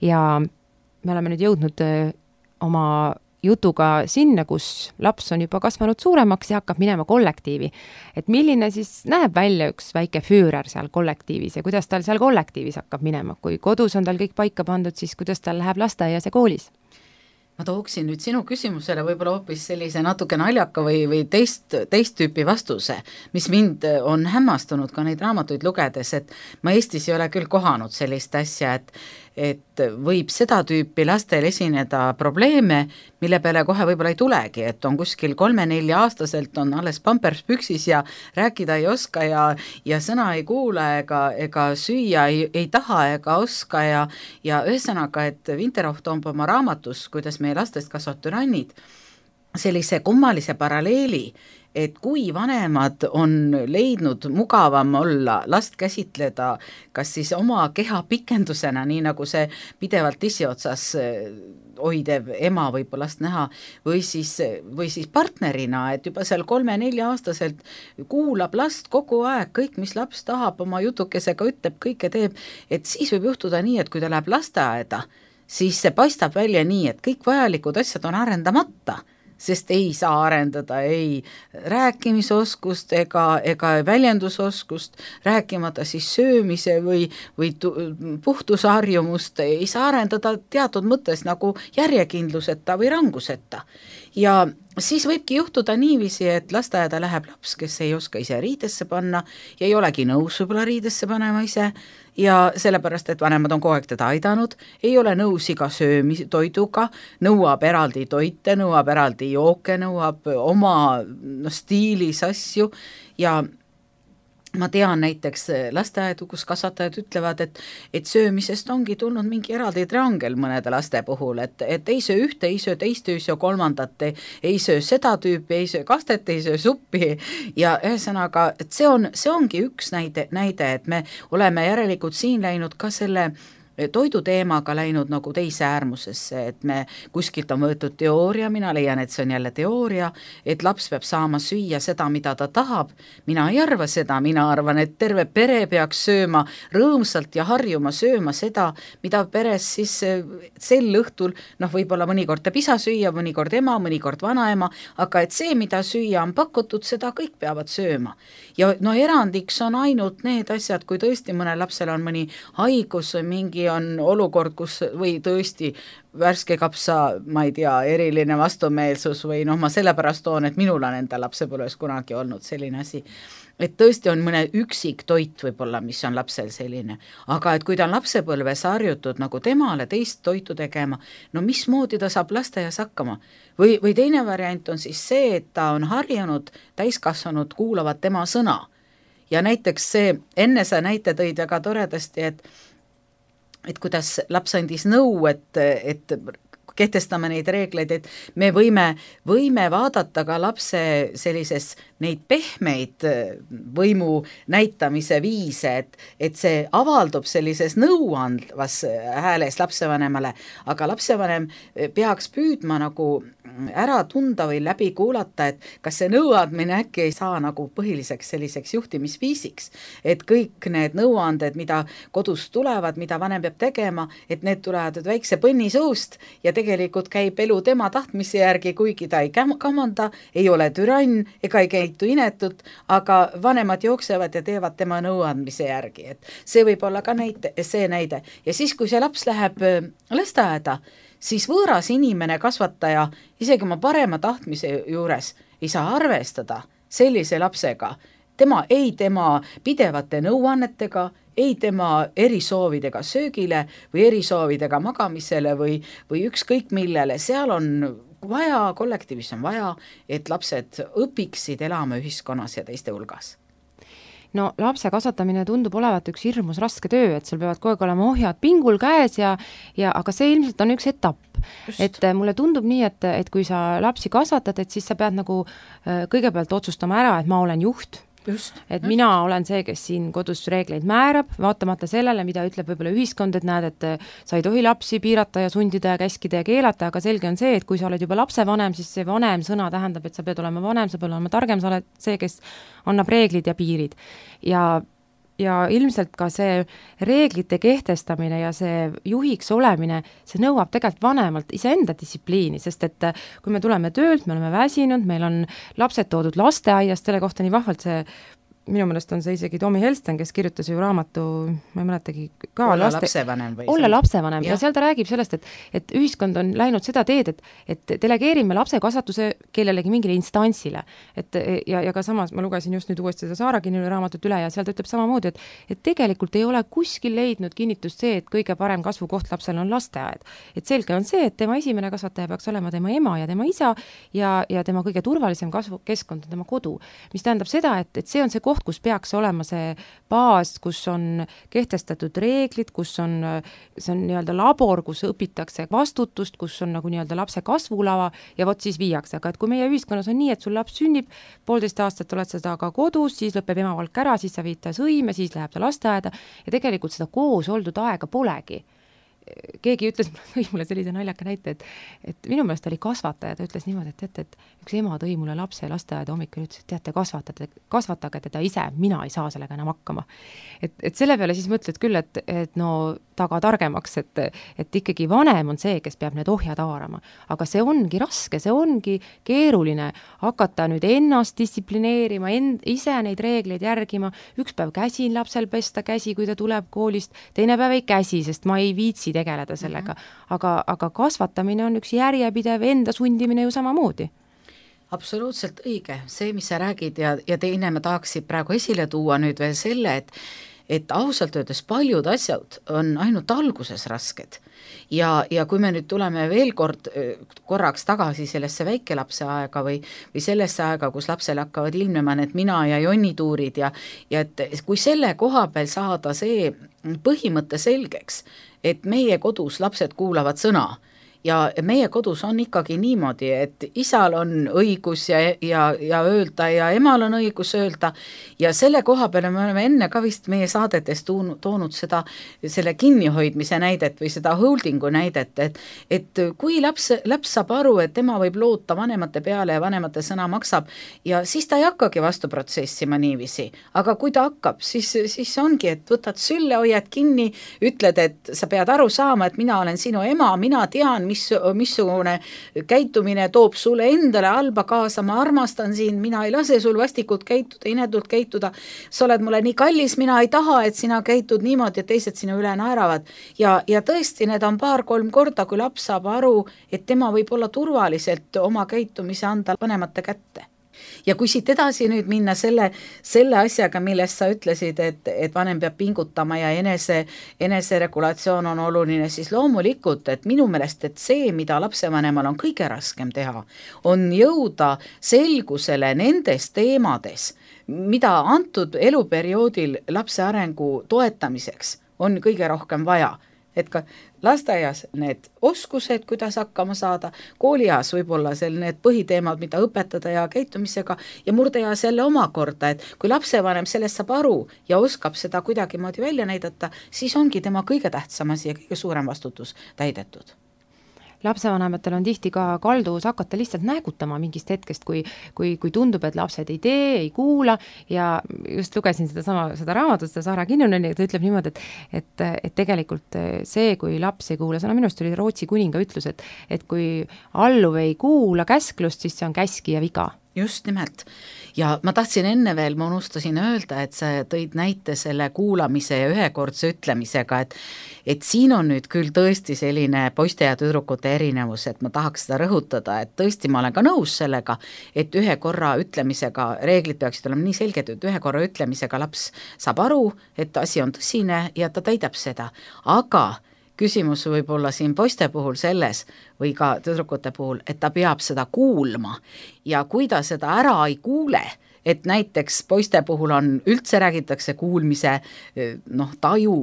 Ja me oleme nüüd jõudnud oma jutuga sinna, kus laps on juba kasvanud suuremaks ja hakkab minema kollektiivi. Et milline siis näeb välja üks väike füürer seal kollektiivis ja kuidas tal seal kollektiivis hakkab minema? Kui kodus on tal kõik paika pandud, siis kuidas tal läheb lasteaias ja koolis? Ma tooksin nüüd sinu küsimusele võib-olla hoopis sellise natuke naljaka või teist tüüpi vastuse, mis mind on hämmastunud ka neid raamatuid lugedes, et ma Eestis ei ole küll kohanud sellist asja, et võib seda tüüpi lastel esineda probleeme, mille peale kohe võib-olla ei tulegi, et on kuskil 3-4 aastaselt on alles pampers püksis ja rääkida ei oska ja sõna ei kuule ega süüa ei taha ega oska ja ühesõnaga, et Vinterhoff toob oma raamatus, kuidas meie lastest kasvavad türannid, sellise kummalise paralleeli, et kui vanemad on leidnud mugavam olla, last käsitleda kas siis oma keha pikendusena, nii nagu see pidevalt tissi otsas hoidev ema võib last näha, või siis partnerina, et juba seal 3-4 aastaselt kuulab last kogu aeg, kõik mis laps tahab, oma jutukesega ütleb, kõike teeb, et siis võib juhtuda nii, et kui ta läheb lasteaeda, siis see paistab välja nii, et kõik vajalikud asjad on arendamata, sest ei saa arendada ei rääkimisoskust ega väljendusoskust, rääkimata siis söömise või puhtusharjumust, ei saa arendada teatud mõttes nagu järjekindluseta või ranguseta. Ja siis võibki juhtuda niiviisi, et lasteaeda läheb laps, kes ei oska ise riidesse panna ja ei olegi nõus võib-olla riidesse panema ise ja sellepärast, et vanemad on kogu aeg teda aidanud, ei ole nõus iga söömistoiduga, nõuab eraldi toite, nõuab eraldi jooke, nõuab oma stiilis asju ja ma tean näiteks lasteaedu, kus kasvatajad ütlevad, et söömisest ongi tulnud mingi eraldi triangel mõnede laste puhul, et ei söö ühte, ei söö teist, ei söö kolmandat, ei söö seda tüüpi, ei söö kastet, ei söö suppi ja ühesõnaga, et see ongi üks näide, et me oleme järelikult siin läinud ka selle toiduteemaga läinud nagu teise äärmusesse, et me kuskilt on võetud teooria, mina leian, et see on jälle teooria, et laps peab saama süüa seda, mida ta tahab, mina ei arva seda, mina arvan, et terve pere peaks sööma rõõmsalt ja harjuma sööma seda, mida peres siis sel õhtul, võib-olla mõnikord teeb isa süüa, mõnikord ema, mõnikord vanaema, aga et see, mida süüa on pakutud, seda kõik peavad sööma. Ja erandiks on ainult need asjad, kui tõesti mõnel lapsel on mõni haigus või mingi on olukord, kus või tõesti värske kapsa, ma ei tea, eriline vastumeelsus või ma sellepärast toon, et minul on enda lapsepõlves kunagi olnud selline asi, et tõesti on mõne üksik toit võib-olla, mis on lapsel selline, aga et kui ta on lapsepõlves harjutud nagu temale teist toitu tegema, mismoodi ta saab lasteaias hakkama? Või teine variant on siis see, et ta on harjunud, täiskasvanud kuulavad tema sõna. Ja näiteks see, enne sa näite tõid väga toredasti, et kuidas laps andis nõu, et kehtestame neid reegleid, et me võime vaadata ka lapse sellises neid pehmeid võimu näitamise viise, et see avaldub sellises nõuandvas hääles lapsevanemale, aga lapsevanem peaks püüdma nagu ära tunda või läbi kuulata, et kas see nõuandmine äkki ei saa nagu põhiliseks selliseks juhtimisviisiks, et kõik need nõuanded, mida kodus tulevad, mida vanem peab tegema, et need tulevad väikse põnni suust ja tegelikult käib elu tema tahtmise järgi, kuigi ta ei kamanda, ei ole türann ega ei käitu inetut, aga vanemad jooksevad ja teevad tema nõuandmise järgi, et see võib olla ka see näide. Ja siis, kui see laps läheb lasteaeda, siis võõras inimene, kasvataja, isegi oma parema tahtmise juures ei saa arvestada sellise lapsega, tema pidevate nõuannetega, ei tema erisoovidega söögile või erisoovidega magamisele või ükskõik millele, seal on vaja, kollektiivis on vaja, et lapsed õpiksid elama ühiskonnas ja teiste hulgas. No lapse kasvatamine tundub olevat üks hirmus raske töö, et sul peavad kogu aeg olema ohjad pingul käes aga see ilmselt on üks etapp. Just. Et mulle tundub nii, et kui sa lapsi kasvatad, et siis sa pead nagu kõigepealt otsustama ära, et ma olen juht. Mina olen see, kes siin kodus reegleid määrab, vaatamata sellele, mida ütleb võib-olla ühiskond, et näed, et sa ei tohi lapsi piirata ja sundida ja käskida ja keelata, aga selge on see, et kui sa oled juba lapsevanem, siis see vanem sõna tähendab, et sa pead olema vanem, sa pead olema targem, sa oled see, kes annab reeglid ja piirid. Ja ilmselt ka see reeglite kehtestamine ja see juhiks olemine, see nõuab tegelikult vanemalt iseenda distsipliini, sest et kui me tuleme töölt, me oleme väsinud, meil on lapsed toodud lasteaiast, selle kohta nii vahvalt see, minu meelest on see isegi Tomi Helsten, kes kirjutas ju raamatu, ma ei mäletagi ka olla lapsevanem olla lapsevanem ja seal ta räägib sellest, et ühiskond on läinud seda teed, et delegeerime lapse kasvatuse kellelegi mingile instantsile. Ja ka samas ma lugesin just nüüd uuesti seda Saara Kinnuli raamatut üle ja seal ta ütleb samamoodi, et tegelikult ei ole kuskil leidnud kinnitust see, et kõige parem kasvukoht lapsel on lasteaed. Et selge on see, et tema esimene kasvataja peaks olema tema ema ja tema isa ja tema kõige turvalisem kasvukeskkond on tema kodu, mis tähendab seda, et see on see koht, kus peaks olema see baas, kus on kehtestatud reeglid, see on nii-öelda labor, kus õpitakse vastutust, kus on nagu nii-öelda lapse kasvulava ja vot siis viiakse, aga et kui meie ühiskonnas on nii, et sul laps sünnib, 1,5 aastat oled seda ka kodus, siis lõpeb emavalk ära, siis sa viid ta sõime, siis läheb ta lasteaeda ja tegelikult seda koos oldud aega polegi. Keegi ütles mulle sellise naljaka näite, et minu meelest oli kasvataja, ta ütles niimoodi, et üks ema tõi mulle lapse lasteaeda hommikul, ütles, et teate, kasvatage teda ise, mina ei saa sellega enam hakkama. Et selle peale siis mõtled küll, et no taga targemaks, et ikkagi vanem on see, kes peab need ohjad haarama. Aga see ongi raske, see ongi keeruline hakata nüüd ennast distsiplineerima, ise neid reegleid järgima, üks päev käsin lapsel pesta käsi, kui ta tuleb koolist, teine päev ei käsi, sest ma ei viitsi tegeleda sellega. Aga kasvatamine on üks järjepidev enda sundimine ju samamoodi. Absoluutselt õige, see, mis sa räägid ja teine ma tahaksin praegu esile tuua nüüd veel selle, et ausalt öeldes paljud asjad on ainult alguses rasked. Ja kui me nüüd tuleme veel korraks tagasi sellesse väikelapse aega või sellesse aega, kus lapsel hakkavad ilmnema need mina ja Jonni tuurid ja et kui selle koha peal saada see põhimõte selgeks, et meie kodus lapsed kuulavad sõna ja meie kodus on ikkagi niimoodi, et isal on õigus ja öelda ja emal on õigus öelda ja selle koha peale me oleme enne ka vist meie saadetes toonud selle kinnihoidmise näidet või seda holdingu näidet, et kui laps saab aru, et tema võib loota vanemate peale ja vanemate sõna maksab ja siis ta ei hakkagi vastu protsessima niiviisi, aga kui ta hakkab, siis ongi, et võtad sülle, hoiad kinni, ütled, et sa pead aru saama, et mina olen sinu ema, mina tean, missugune käitumine toob sulle endale halba kaasa, ma armastan sind, mina ei lase sul vastikult käituda, inetult käituda, sa oled mulle nii kallis, mina ei taha, et sina käitud niimoodi, et teised sinu üle naeravad ja tõesti, need on 2-3 korda, kui laps saab aru, et tema võib olla turvaliselt oma käitumise anda vanemate kätte. Ja kui siit edasi nüüd minna selle asjaga, millest sa ütlesid, et vanem peab pingutama ja eneseregulatsioon on oluline, siis loomulikult, et minu meelest, et see, mida lapsevanemal on kõige raskem teha, on jõuda selgusele nendes teemades, mida antud eluperioodil lapse arengu toetamiseks on kõige rohkem vaja. Et ka lasteaias need oskused, kuidas hakkama saada, koolieas võib-olla need põhiteemad, mida õpetada ja käitumisega ja murdeeas jälle omakorda, et kui lapsevanem sellest saab aru ja oskab seda kuidagimoodi välja näidata, siis ongi tema kõige tähtsam asi ja kõige suurem vastutus täidetud. Lapsevanematel on tihti ka kalduvus hakata lihtsalt näägutama mingist hetkest, kui tundub, et lapsed ei tee, ei kuula ja just lugesin seda raamatut, seda Saara Kinnuneni, ta ütleb niimoodi, et tegelikult see, kui laps ei kuula, see on minu arust oli Rootsi kuninga ütlus, et kui alluv ei kuula käsklust, siis see on käskija viga. Just nimelt. Ja ma tahtsin enne veel, ma unustasin öelda, et sa tõid näite selle kuulamise ja ühekordse ütlemisega, et siin on nüüd küll tõesti selline poiste ja tüdrukute erinevus, et ma tahaks seda rõhutada, et tõesti ma olen ka nõus sellega, et ühe korra ütlemisega, reeglid peaksid olema nii selged, et ühe korra ütlemisega laps saab aru, et asi on tõsine ja ta täidab seda, aga küsimus võib olla siin poiste puhul selles või ka tüdrukute puhul, et ta peab seda kuulma ja kui ta seda ära ei kuule, et näiteks poiste puhul on, üldse räägitakse kuulmise taju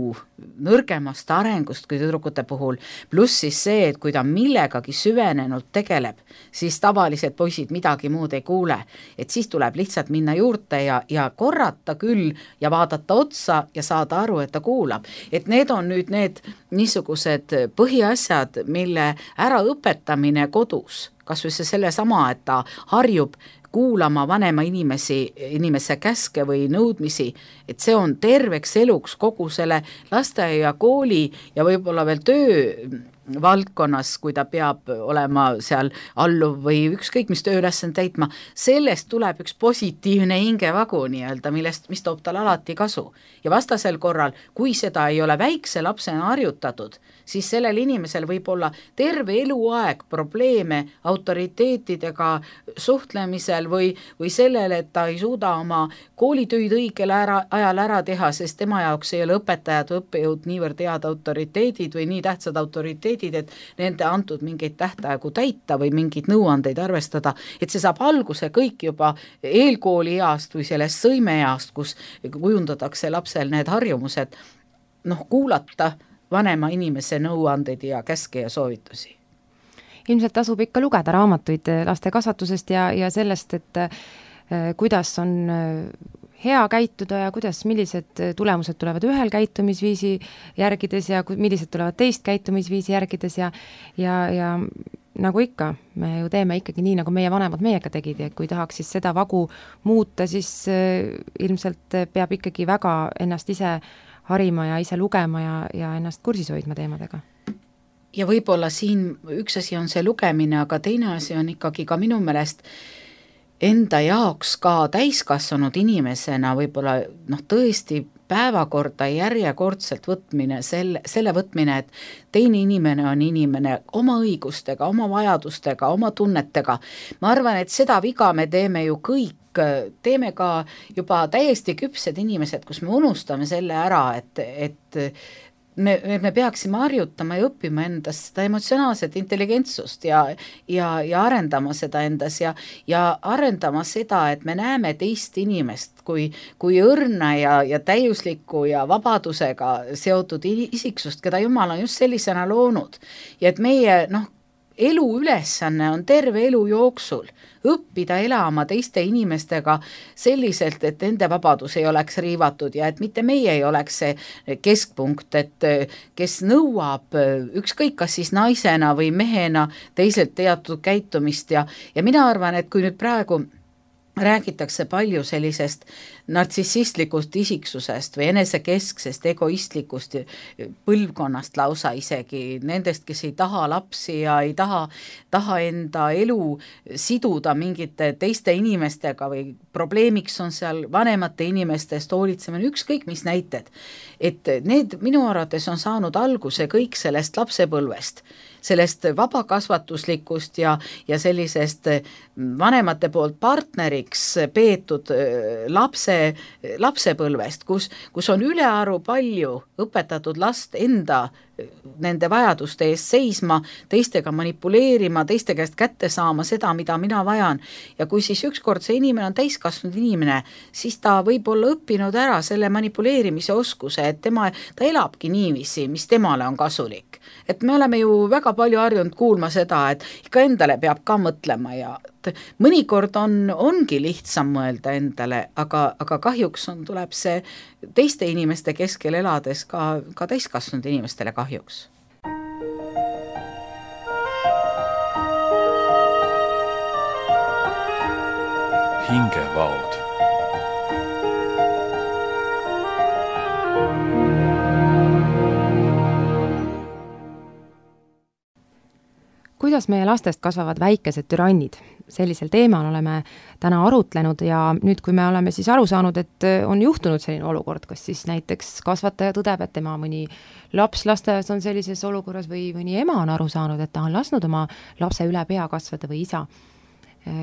nõrgemast arengust kui tüdrukute puhul, pluss siis see, et kui ta millegagi süvenenud tegeleb, siis tavalised poisid midagi muud ei kuule, et siis tuleb lihtsalt minna juurde ja korrata küll ja vaadata otsa ja saada aru, et ta kuulab. Et need on nüüd need niisugused põhiasjad, mille äraõpetamine kodus, kas või selle sama, et ta harjub kuulama vanema inimese käske või nõudmisi, et see on terveks eluks kogu selle lasteaia, kooli ja võib-olla veel töö valdkonnas, kui ta peab olema seal alluv või ükskõik mis tööülesanne täitma, sellest tuleb üks positiivne hingevagu nii-öelda, mis toob tal alati kasu. Ja vastasel korral, kui seda ei ole väikse lapsena harjutatud, siis sellel inimesel võib olla terve eluaeg probleeme autoriteetidega suhtlemisel või sellele, et ta ei suuda oma koolitöid õigel ajal ära teha, sest tema jaoks ei ole õpetajad või õppejõud niivõrd head autoriteedid või nii tähtsad autoriteedid, et nende antud mingeid tähtaegu täita või mingeid nõuandeid arvestada, et see saab alguse kõik juba eelkooli east või sellest sõimeeast, kus kujundatakse lapsel need harjumused, kuulata vanema inimese nõuandeid ja käske ja soovitusi. Ilmselt tasub ikka lugeda raamatuid laste kasvatusest ja sellest, et kuidas on hea käituda ja millised tulemused tulevad ühel käitumisviisi järgides ja millised tulevad teist käitumisviisi järgides ja nagu ikka, me ju teeme ikkagi nii, nagu meie vanemad meiega tegid ja kui tahaks siis seda vagu muuta, siis ilmselt peab ikkagi väga ennast ise harima ja ise lugema ja ennast kursis hoidma teemadega. Ja võib-olla siin üks asi on see lugemine, aga teine asi on ikkagi ka minu meelest enda jaoks ka täiskasvanud inimesena võib-olla tõesti päevakorda järjekordselt võtmine, selle võtmine, et teine inimene on inimene oma õigustega, oma vajadustega, oma tunnetega. Ma arvan, et seda viga me teeme ju kõik, teeme ka juba täiesti küpsed inimesed, kus me unustame selle ära, et me peaksime harjutama ja õppima endas seda emotsionaalset intelligentsust ja arendama seda endas ja arendama seda, et me näeme teist inimest kui õrna ja täiuslikku ja vabadusega seotud isiksust, keda Jumal on just sellisena loonud. Ja et meie elu ülesanne on terve elu jooksul õppida elama teiste inimestega selliselt, et nende vabadus ei oleks riivatud ja et mitte meie ei oleks see keskpunkt, et kes nõuab ükskõik kas siis naisena või mehena teiselt teatud käitumist ja mina arvan, et kui nüüd praegu räägitakse palju sellisest nartsissistlikust isiksusest või enesekesksest, egoistlikust põlvkonnast lausa isegi, nendest, kes ei taha lapsi ja ei taha enda elu siduda mingite teiste inimestega või probleemiks on seal vanemate inimestest hoolitsemine, ükskõik mis näited. Et need minu arvates on saanud alguse kõik sellest lapsepõlvest, sellest vabakasvatuslikust ja sellisest vanemate poolt partneriks peetud lapsepõlvest, kus on ülearu palju õpetatud last enda nende vajaduste eest seisma, teistega manipuleerima, teiste käest kätte saama seda, mida mina vajan. Ja kui siis ükskord see inimene on täiskasvanud inimene, siis ta võib olla õppinud ära selle manipuleerimise oskuse, et ta elabki niiviisi, mis temale on kasulik. Et me oleme ju väga palju harjunud kuulma seda, et ikka endale peab ka mõtlema ja mõnikord ongi lihtsam mõelda endale, aga kahjuks tuleb see teiste inimeste keskel elades ka täiskasvanud inimestele kahjuks. Hingevaod. Kuidas meie lastest kasvavad väikesed türannid? Sellisel teemal oleme täna arutlenud ja nüüd, kui me oleme siis aru saanud, et on juhtunud selline olukord, kas siis näiteks kasvataja tõdeb, et tema mõni laps lasteaias on sellises olukorras või mõni ema on aru saanud, et ta on lasknud oma lapse üle pea kasvada või isa,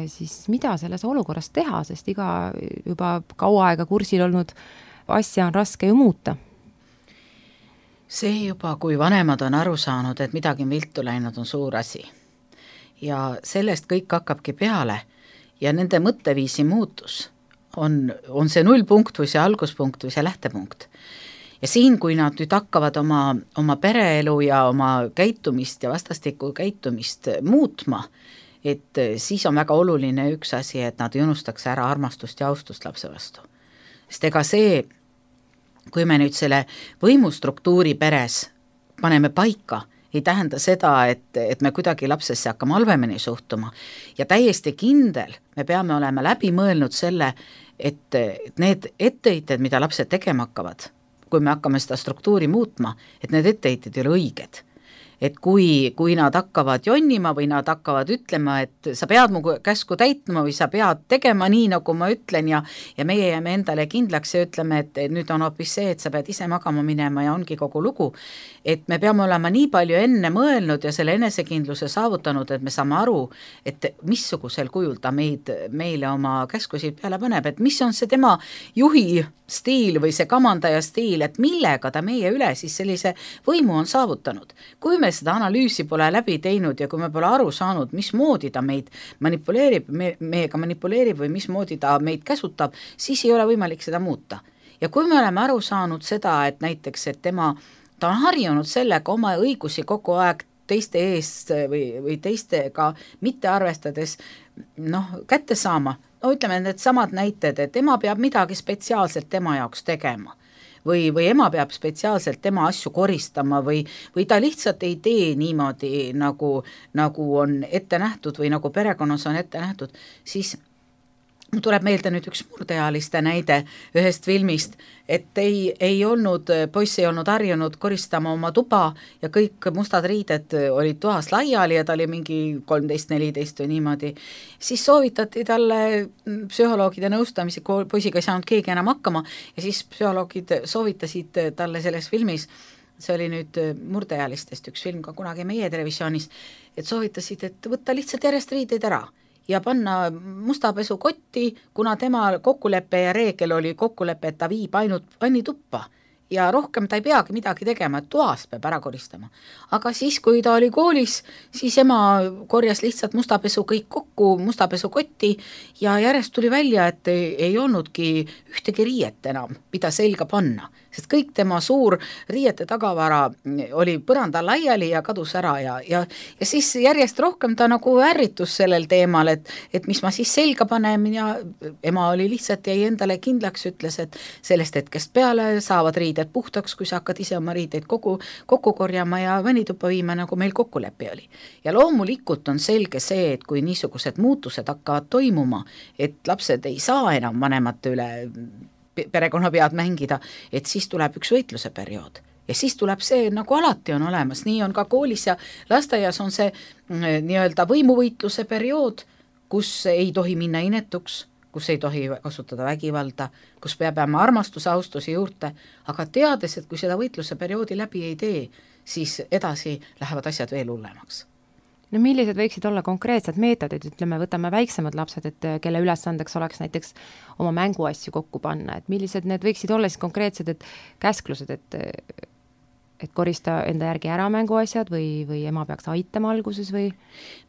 siis mida selles olukorras teha, sest iga juba kaua aega kursil olnud asja on raske ju muuta? See juba, kui vanemad on aru saanud, et midagi on viltu läinud, on suur asi. Ja sellest kõik hakkabki peale ja nende mõtteviisi muutus on see nullpunkt või see alguspunkt või see lähtepunkt. Ja siin, kui nad nüüd hakkavad oma pereelu ja oma käitumist ja vastastikku käitumist muutma, et siis on väga oluline üks asi, et nad ei unustaks ära armastust ja austust lapse vastu. Sest ega see, kui me nüüd selle võimustruktuuri peres paneme paika, ei tähenda seda, et me kuidagi lapsesse hakkame halvemini suhtuma. Ja täiesti kindel, me peame olema läbi mõelnud selle, et need etteheited, mida lapsed tegema hakkavad, kui me hakkame seda struktuuri muutma, et need etteheited ei ole õiged. Et kui nad hakkavad jonnima või nad hakkavad ütlema, et sa pead mu käsku täitma või sa pead tegema nii, nagu ma ütlen ja meie jääme endale kindlaks ja ütleme, et nüüd on hoopis see, et sa pead ise magama minema ja ongi kogu lugu. Et me peame olema nii palju enne mõelnud ja selle enesekindluse saavutanud, et me saame aru, et missugusel kujul ta meile oma käskusid peale paneb, et mis on see tema juhi stiil või see kamandaja stiil, et millega ta meie üle siis sellise võimu on saavutanud. Kui me seda analüüsi pole läbi teinud ja kui me pole aru saanud, mismoodi ta meid meiega manipuleerib või mismoodi ta meid käsutab, siis ei ole võimalik seda muuta. Ja kui me oleme aru saanud seda, et näiteks, et ta on harjunud sellega oma õigusi kogu aeg teiste eest või teistega mitte arvestades kätte saama, ütleme need samad näited, et ema peab midagi spetsiaalselt tema jaoks tegema või ema peab spetsiaalselt tema asju koristama või ta lihtsalt ei tee niimoodi, nagu on ette nähtud või nagu perekonnas on ette nähtud, siis tuleb meelde nüüd üks murdeealiste näide ühest filmist, et ei olnud, poiss ei olnud harjunud koristama oma tuba ja kõik mustad riided olid toas laiali ja ta oli mingi 13-14 või niimoodi. Siis soovitati talle psühholoogide nõustamisi, poisiga ei saanud keegi enam hakkama ja siis psühholoogid soovitasid talle selles filmis, see oli nüüd murdeealistest üks film ka kunagi meie televisioonis, et soovitasid, et võtta lihtsalt järjest riideid ära ja panna mustapesukotti, kuna tema kokkulepe ja reegel oli kokkulepe, et ta viib ainult vannituppa ja rohkem ta ei peagi midagi tegema, et toast peab ära koristama. Aga siis, kui ta oli koolis, siis ema korjas lihtsalt mustapesu kõik kokku mustapesukotti ja järjest tuli välja, et ei olnudki ühtegi riiet enam, mida selga panna, sest kõik tema suur riiete tagavara oli põrandal laiali ja kadus ära ja siis järjest rohkem ta nagu ärritus sellel teemal, et mis ma siis selga panen ja ema oli lihtsalt jäi endale kindlaks, ütles, et sellest hetkest peale saavad riided puhtaks, kui sa hakkad ise oma riideid kokku korjama ja vannituppa viima, nagu meil kokkulepe oli. Ja loomulikult on selge see, et kui niisugused muutused hakkavad toimuma, et lapsed ei saa enam vanemate üle perekonna pead mängida, et siis tuleb üks võitluse periood. Ja siis tuleb see, nagu alati on olemas, nii on ka koolis ja lasteaias on see nii-öelda võimuvõitluse periood, kus ei tohi minna inetuks, kus ei tohi kasutada vägivalda, kus peab jääma armastuse, austusi juurde, aga teades, et kui seda võitluse perioodi läbi ei tee, siis edasi lähevad asjad veel hullemaks. No millised võiksid olla konkreetsed meetodid, ütleme, võtame väiksemad lapsed, et kelle ülesandeks oleks näiteks oma mänguasju kokku panna, et millised need võiksid olla siis konkreetsed, et käsklused, et korista enda järgi ära mänguasjad või ema peaks aitama alguses või?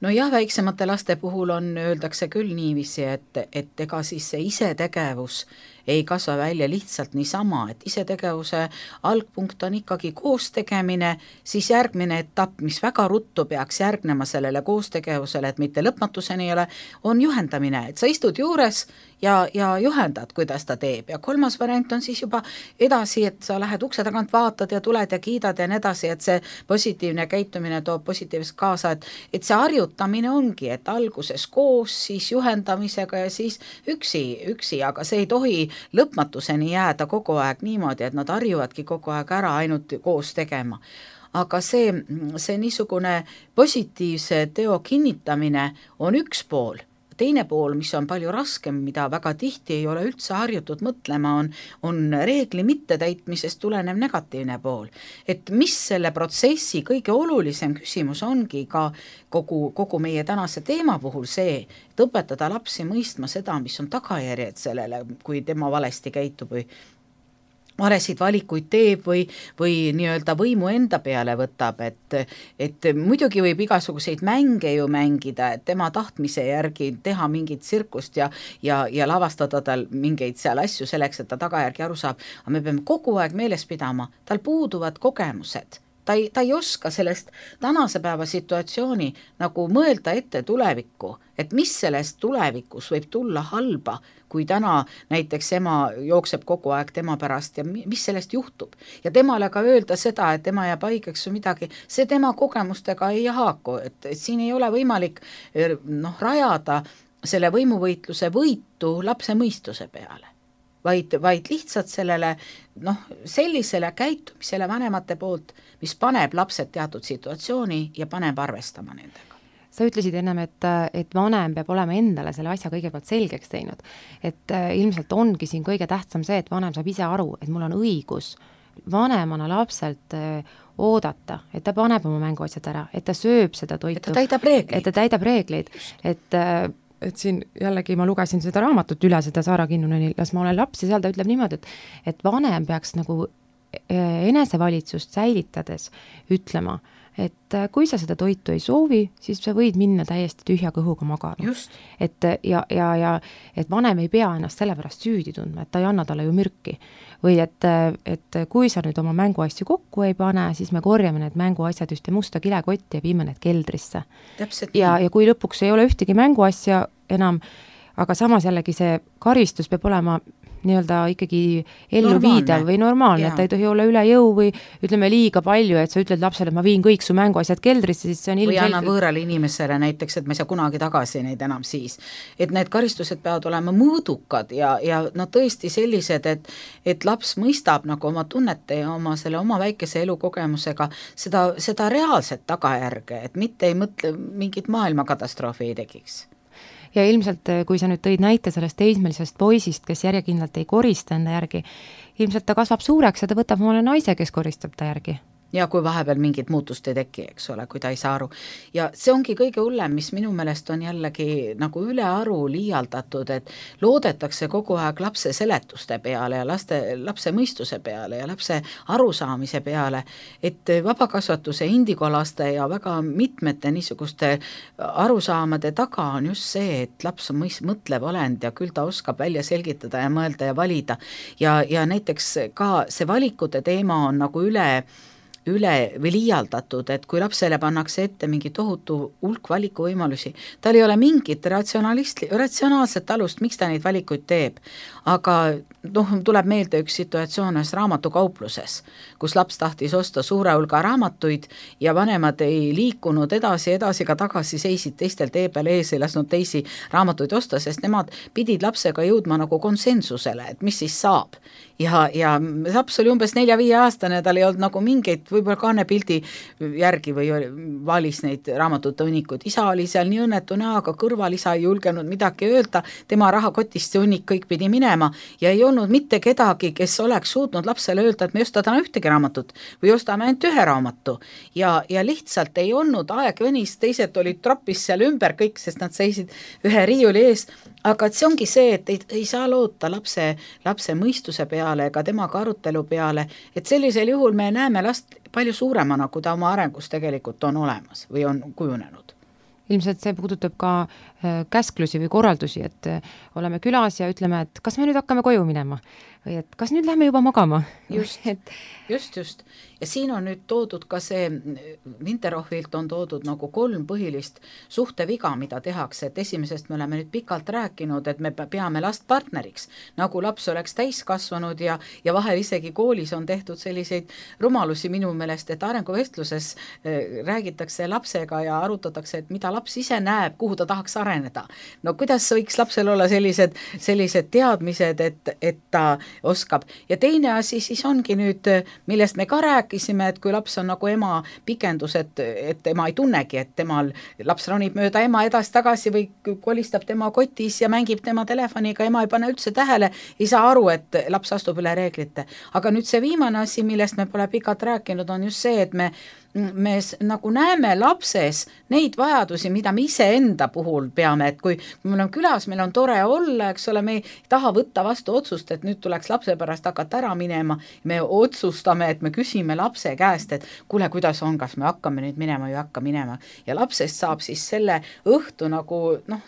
No jah, väiksemate laste puhul öeldakse küll niiviisi, et ega siis see isetegevus ei kasva välja lihtsalt niisama, et isetegevuse algpunkt on ikkagi koostegemine, siis järgmine etapp, mis väga ruttu peaks järgnema sellele koostegevusele, et mitte lõpmatuseni ei ole, on juhendamine, et sa istud juures ja juhendad, kuidas ta teeb ja kolmas variant on siis juba edasi, et sa lähed ukse tagant, vaatad ja tuled ja kiidad ja nii edasi, et see positiivne käitumine toob positiivselt kaasa, et see harjutamine ongi, et alguses koos, siis juhendamisega ja siis üksi, aga see ei tohi lõpmatuseni jääda kogu aeg niimoodi, et nad harjuvadki kogu aeg ära ainult koos tegema. Aga see niisugune positiivse teo kinnitamine on üks pool. Teine pool, mis on palju raskem, mida väga tihti ei ole üldse harjutud mõtlema, on reegli mittetäitmisest tulenev negatiivne pool. Et mis selle protsessi kõige olulisem küsimus ongi ka kogu meie tänase teema puhul see, et õpetada lapsi mõistma seda, mis on tagajärjed sellele, kui tema valesti käitub või valesid valikuid teeb või nii-öelda võimu enda peale võtab, et muidugi võib igasuguseid mänge ju mängida, et tema tahtmise järgi teha mingit tsirkust ja lavastada tal mingeid seal asju selleks, et ta tagajärgi aru saab, aga me peame kogu aeg meeles pidama, tal puuduvad kogemused. Ta ei oska sellest tänase päeva situatsiooni nagu mõelda ette tulevikku, et mis sellest tulevikus võib tulla halba, kui täna näiteks ema jookseb kogu aeg tema pärast ja mis sellest juhtub. Ja temale ka öelda seda, et tema jääb haigeks või midagi, see tema kogemustega ei haaku, et siin ei ole võimalik rajada selle võimuvõitluse võitu lapse mõistuse peale. Vaid lihtsalt sellele sellisele käitumisele vanemate poolt, mis paneb lapsed teatud situatsiooni ja paneb arvestama nendega. Sa ütlesid ennem, et vanem peab olema endale selle asja kõigepealt selgeks teinud. Et ilmselt ongi siin kõige tähtsam see, et vanem saab ise aru, et mul on õigus vanemana lapselt oodata, et ta paneb oma mänguasjad ära, et ta sööb seda toitu. Et ta täidab reegleid. Et siin jällegi ma lugesin seda raamatut üle, seda Saara Kinnuneni Las ma olen laps ja seal ta ütleb niimoodi, et vanem peaks nagu enesevalitsust säilitades ütlema, et kui sa seda toitu ei soovi, siis sa võid minna täiesti tühja kõhuga magama. Et vanem ei pea ennast sellepärast süüdi tundma, et ta ei anna talle ju mürki. Või et kui sa nüüd oma mänguasju kokku ei pane, siis me korjame need mänguasjad ühte musta kilekotti ja viime need keldrisse. Ja kui lõpuks ei ole ühtegi mänguasja enam, aga samas jällegi see karistus peab olema nii-öelda ikkagi ellu viidav või normaalne, et ta ei tohi olla üle jõu või ütleme liiga palju, et sa ütled lapsele, et ma viin kõik su mänguasjad keldrisse, siis see on või anna võõrale inimesele näiteks, et ma ei saa kunagi tagasi neid enam siis. Et need karistused peavad olema mõõdukad ja no tõesti sellised, et laps mõistab nagu oma tunnete ja oma väikese elukogemusega seda reaalset tagajärge, et mitte ei mõtle mingit maailmakatastroofi ei tekiks. Ja ilmselt, kui sa nüüd tõid näite sellest teismelisest poisist, kes järjekindlalt ei korista enda järgi, ilmselt ta kasvab suureks ja ta võtab omale naise, kes koristab ta järgi. Ja kui vahepeal mingit muutust ei teki, eks ole, kui ta ei saa aru. Ja see ongi kõige hullem, mis minu meelest on jällegi nagu ülearu liialdatud, et loodetakse kogu aeg lapse seletuste peale ja lapse mõistuse peale ja lapse arusaamise peale, et vabakasvatuse indikolaste ja väga mitmete niisuguste arusaamade taga on just see, et laps on mõtlev olend ja küll ta oskab välja selgitada ja mõelda ja valida. Ja näiteks ka see valikute teema on nagu üle või liialdatud, et kui lapsele pannakse ette mingi tohutu hulk valikuvõimalusi, tal ei ole mingit ratsionaalset alust, miks ta neid valikuid teeb. Aga tuleb meelde üks situatsioon ühes raamatukaupluses, kus laps tahtis osta suure hulga raamatuid ja vanemad ei liikunud edasi ka tagasi, seisid teistel tee peal ees, ei lasknud teisi raamatuid osta, sest nemad pidid lapsega jõudma nagu konsensusele, et mis siis saab. Ja laps oli umbes 4-5 aastane, tal ei olnud nagu mingeid võib-olla kaanepildi järgi või valis neid raamatute hunnikud. Isa oli seal nii õnnetu näoga kõrval, isa ei julgenud midagi öelda, tema rahakotist see hunnik kõik pidi minema ja ei olnud mitte kedagi, kes oleks suutnud lapsele öelda, et me ei osta täna ühtegi raamatut või ostame ainult ühe raamatu. Ja lihtsalt ei olnud aeg venis, teised olid tropis seal ümber kõik, sest nad seisid ühe riiuli ees, aga see ongi see, et ei saa loota lapse mõistuse peale ega temaga arutelu peale, et sellisel juhul me näeme last palju suuremana, kui ta oma arengus tegelikult on olemas või on kujunenud. Ilmselt see puudutab ka käsklusi või korraldusi, et oleme külas ja ütleme, et kas me nüüd hakkame koju minema või et kas nüüd lähme juba magama. Just. Ja siin on nüüd toodud ka see, Winterhofilt on toodud nagu 3 põhilist suhteviga, mida tehakse, et esimesest me oleme nüüd pikalt rääkinud, et me peame last partneriks, nagu laps oleks täiskasvanud ja vahel isegi koolis on tehtud selliseid rumalusi minu meelest, et arenguvestluses räägitakse lapsega ja arutatakse, et mida laps ise näeb, kuhu ta tahaks areneda. No kuidas võiks lapsel olla sellised teadmised, et ta oskab. Ja teine asi siis ongi nüüd, millest me ka rääkisime, et kui laps on nagu ema pikendus, et ema ei tunnegi, et laps ronib mööda ema edasi-tagasi või kolistab tema kotis ja mängib tema telefoniga, ema ei pane üldse tähele, ei saa aru, et laps astub üle reeglite. Aga nüüd see viimane asi, millest me pole pikalt rääkinud, on just see, et me nagu näeme lapses neid vajadusi, mida me ise enda puhul peame, et kui meil on külas, meil on tore olla, eks ole, me ei taha võtta vastu otsust, et nüüd tuleks lapse pärast hakata ära minema, me otsustame, et me küsime lapse käest, et kuule, kuidas on, kas me hakkame nüüd minema või hakka minema ja lapsest saab siis selle õhtu nagu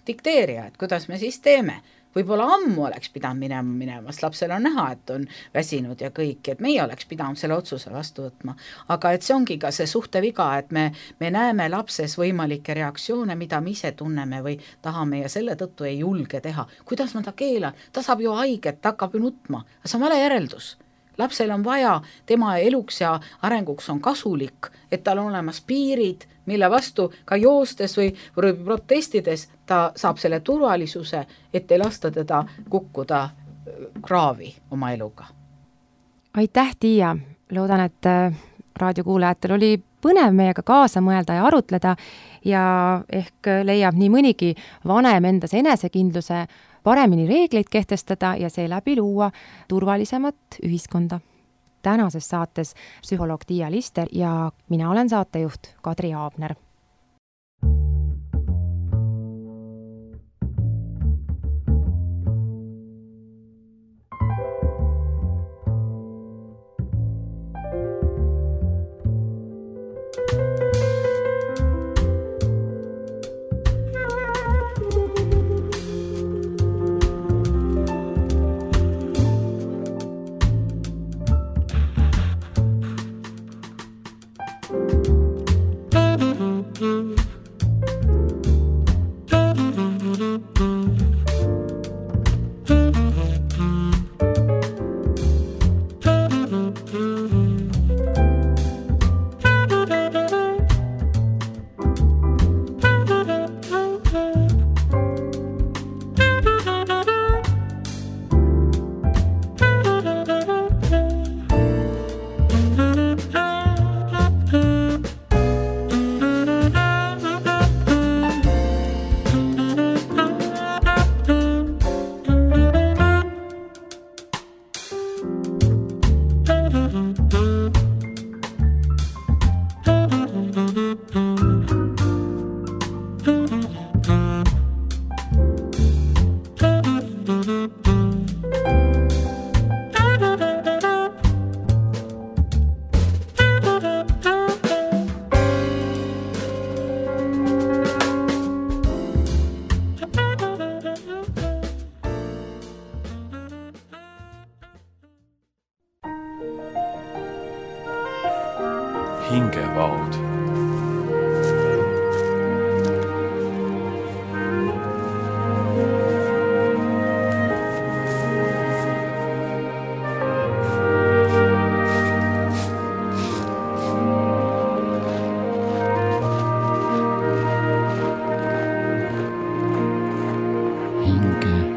dikteerija, et kuidas me siis teeme. Võib-olla ammu oleks pidanud minema, sest lapsel on näha, et on väsinud ja kõik, et meie oleks pidanud selle otsuse vastu võtma. Aga et see ongi ka see suhteviga, et me näeme lapses võimalikke reaktsioone, mida me ise tunneme või tahame ja selle tõttu ei julge teha. Kuidas ma ta keelan? Ta saab ju haiget, ta hakkab ju nutma. See on vale järeldus. Lapsel on vaja, tema eluks ja arenguks on kasulik, et tal on olemas piirid, mille vastu ka joostes või protestides ta saab selle turvalisuse, et ei lasta teda kukkuda kraavi oma eluga. Aitäh, Tiia! Loodan, et raadiokuulajatel oli põnev meiega kaasa mõelda ja arutleda ja ehk leiab nii mõnigi vanem endas enesekindluse paremini reegleid kehtestada ja seeläbi luua turvalisemat ühiskonda. Tänases saates psühholoog Tiia Lister ja mina olen saatejuht Kadri Aabner. hingevaod. hinge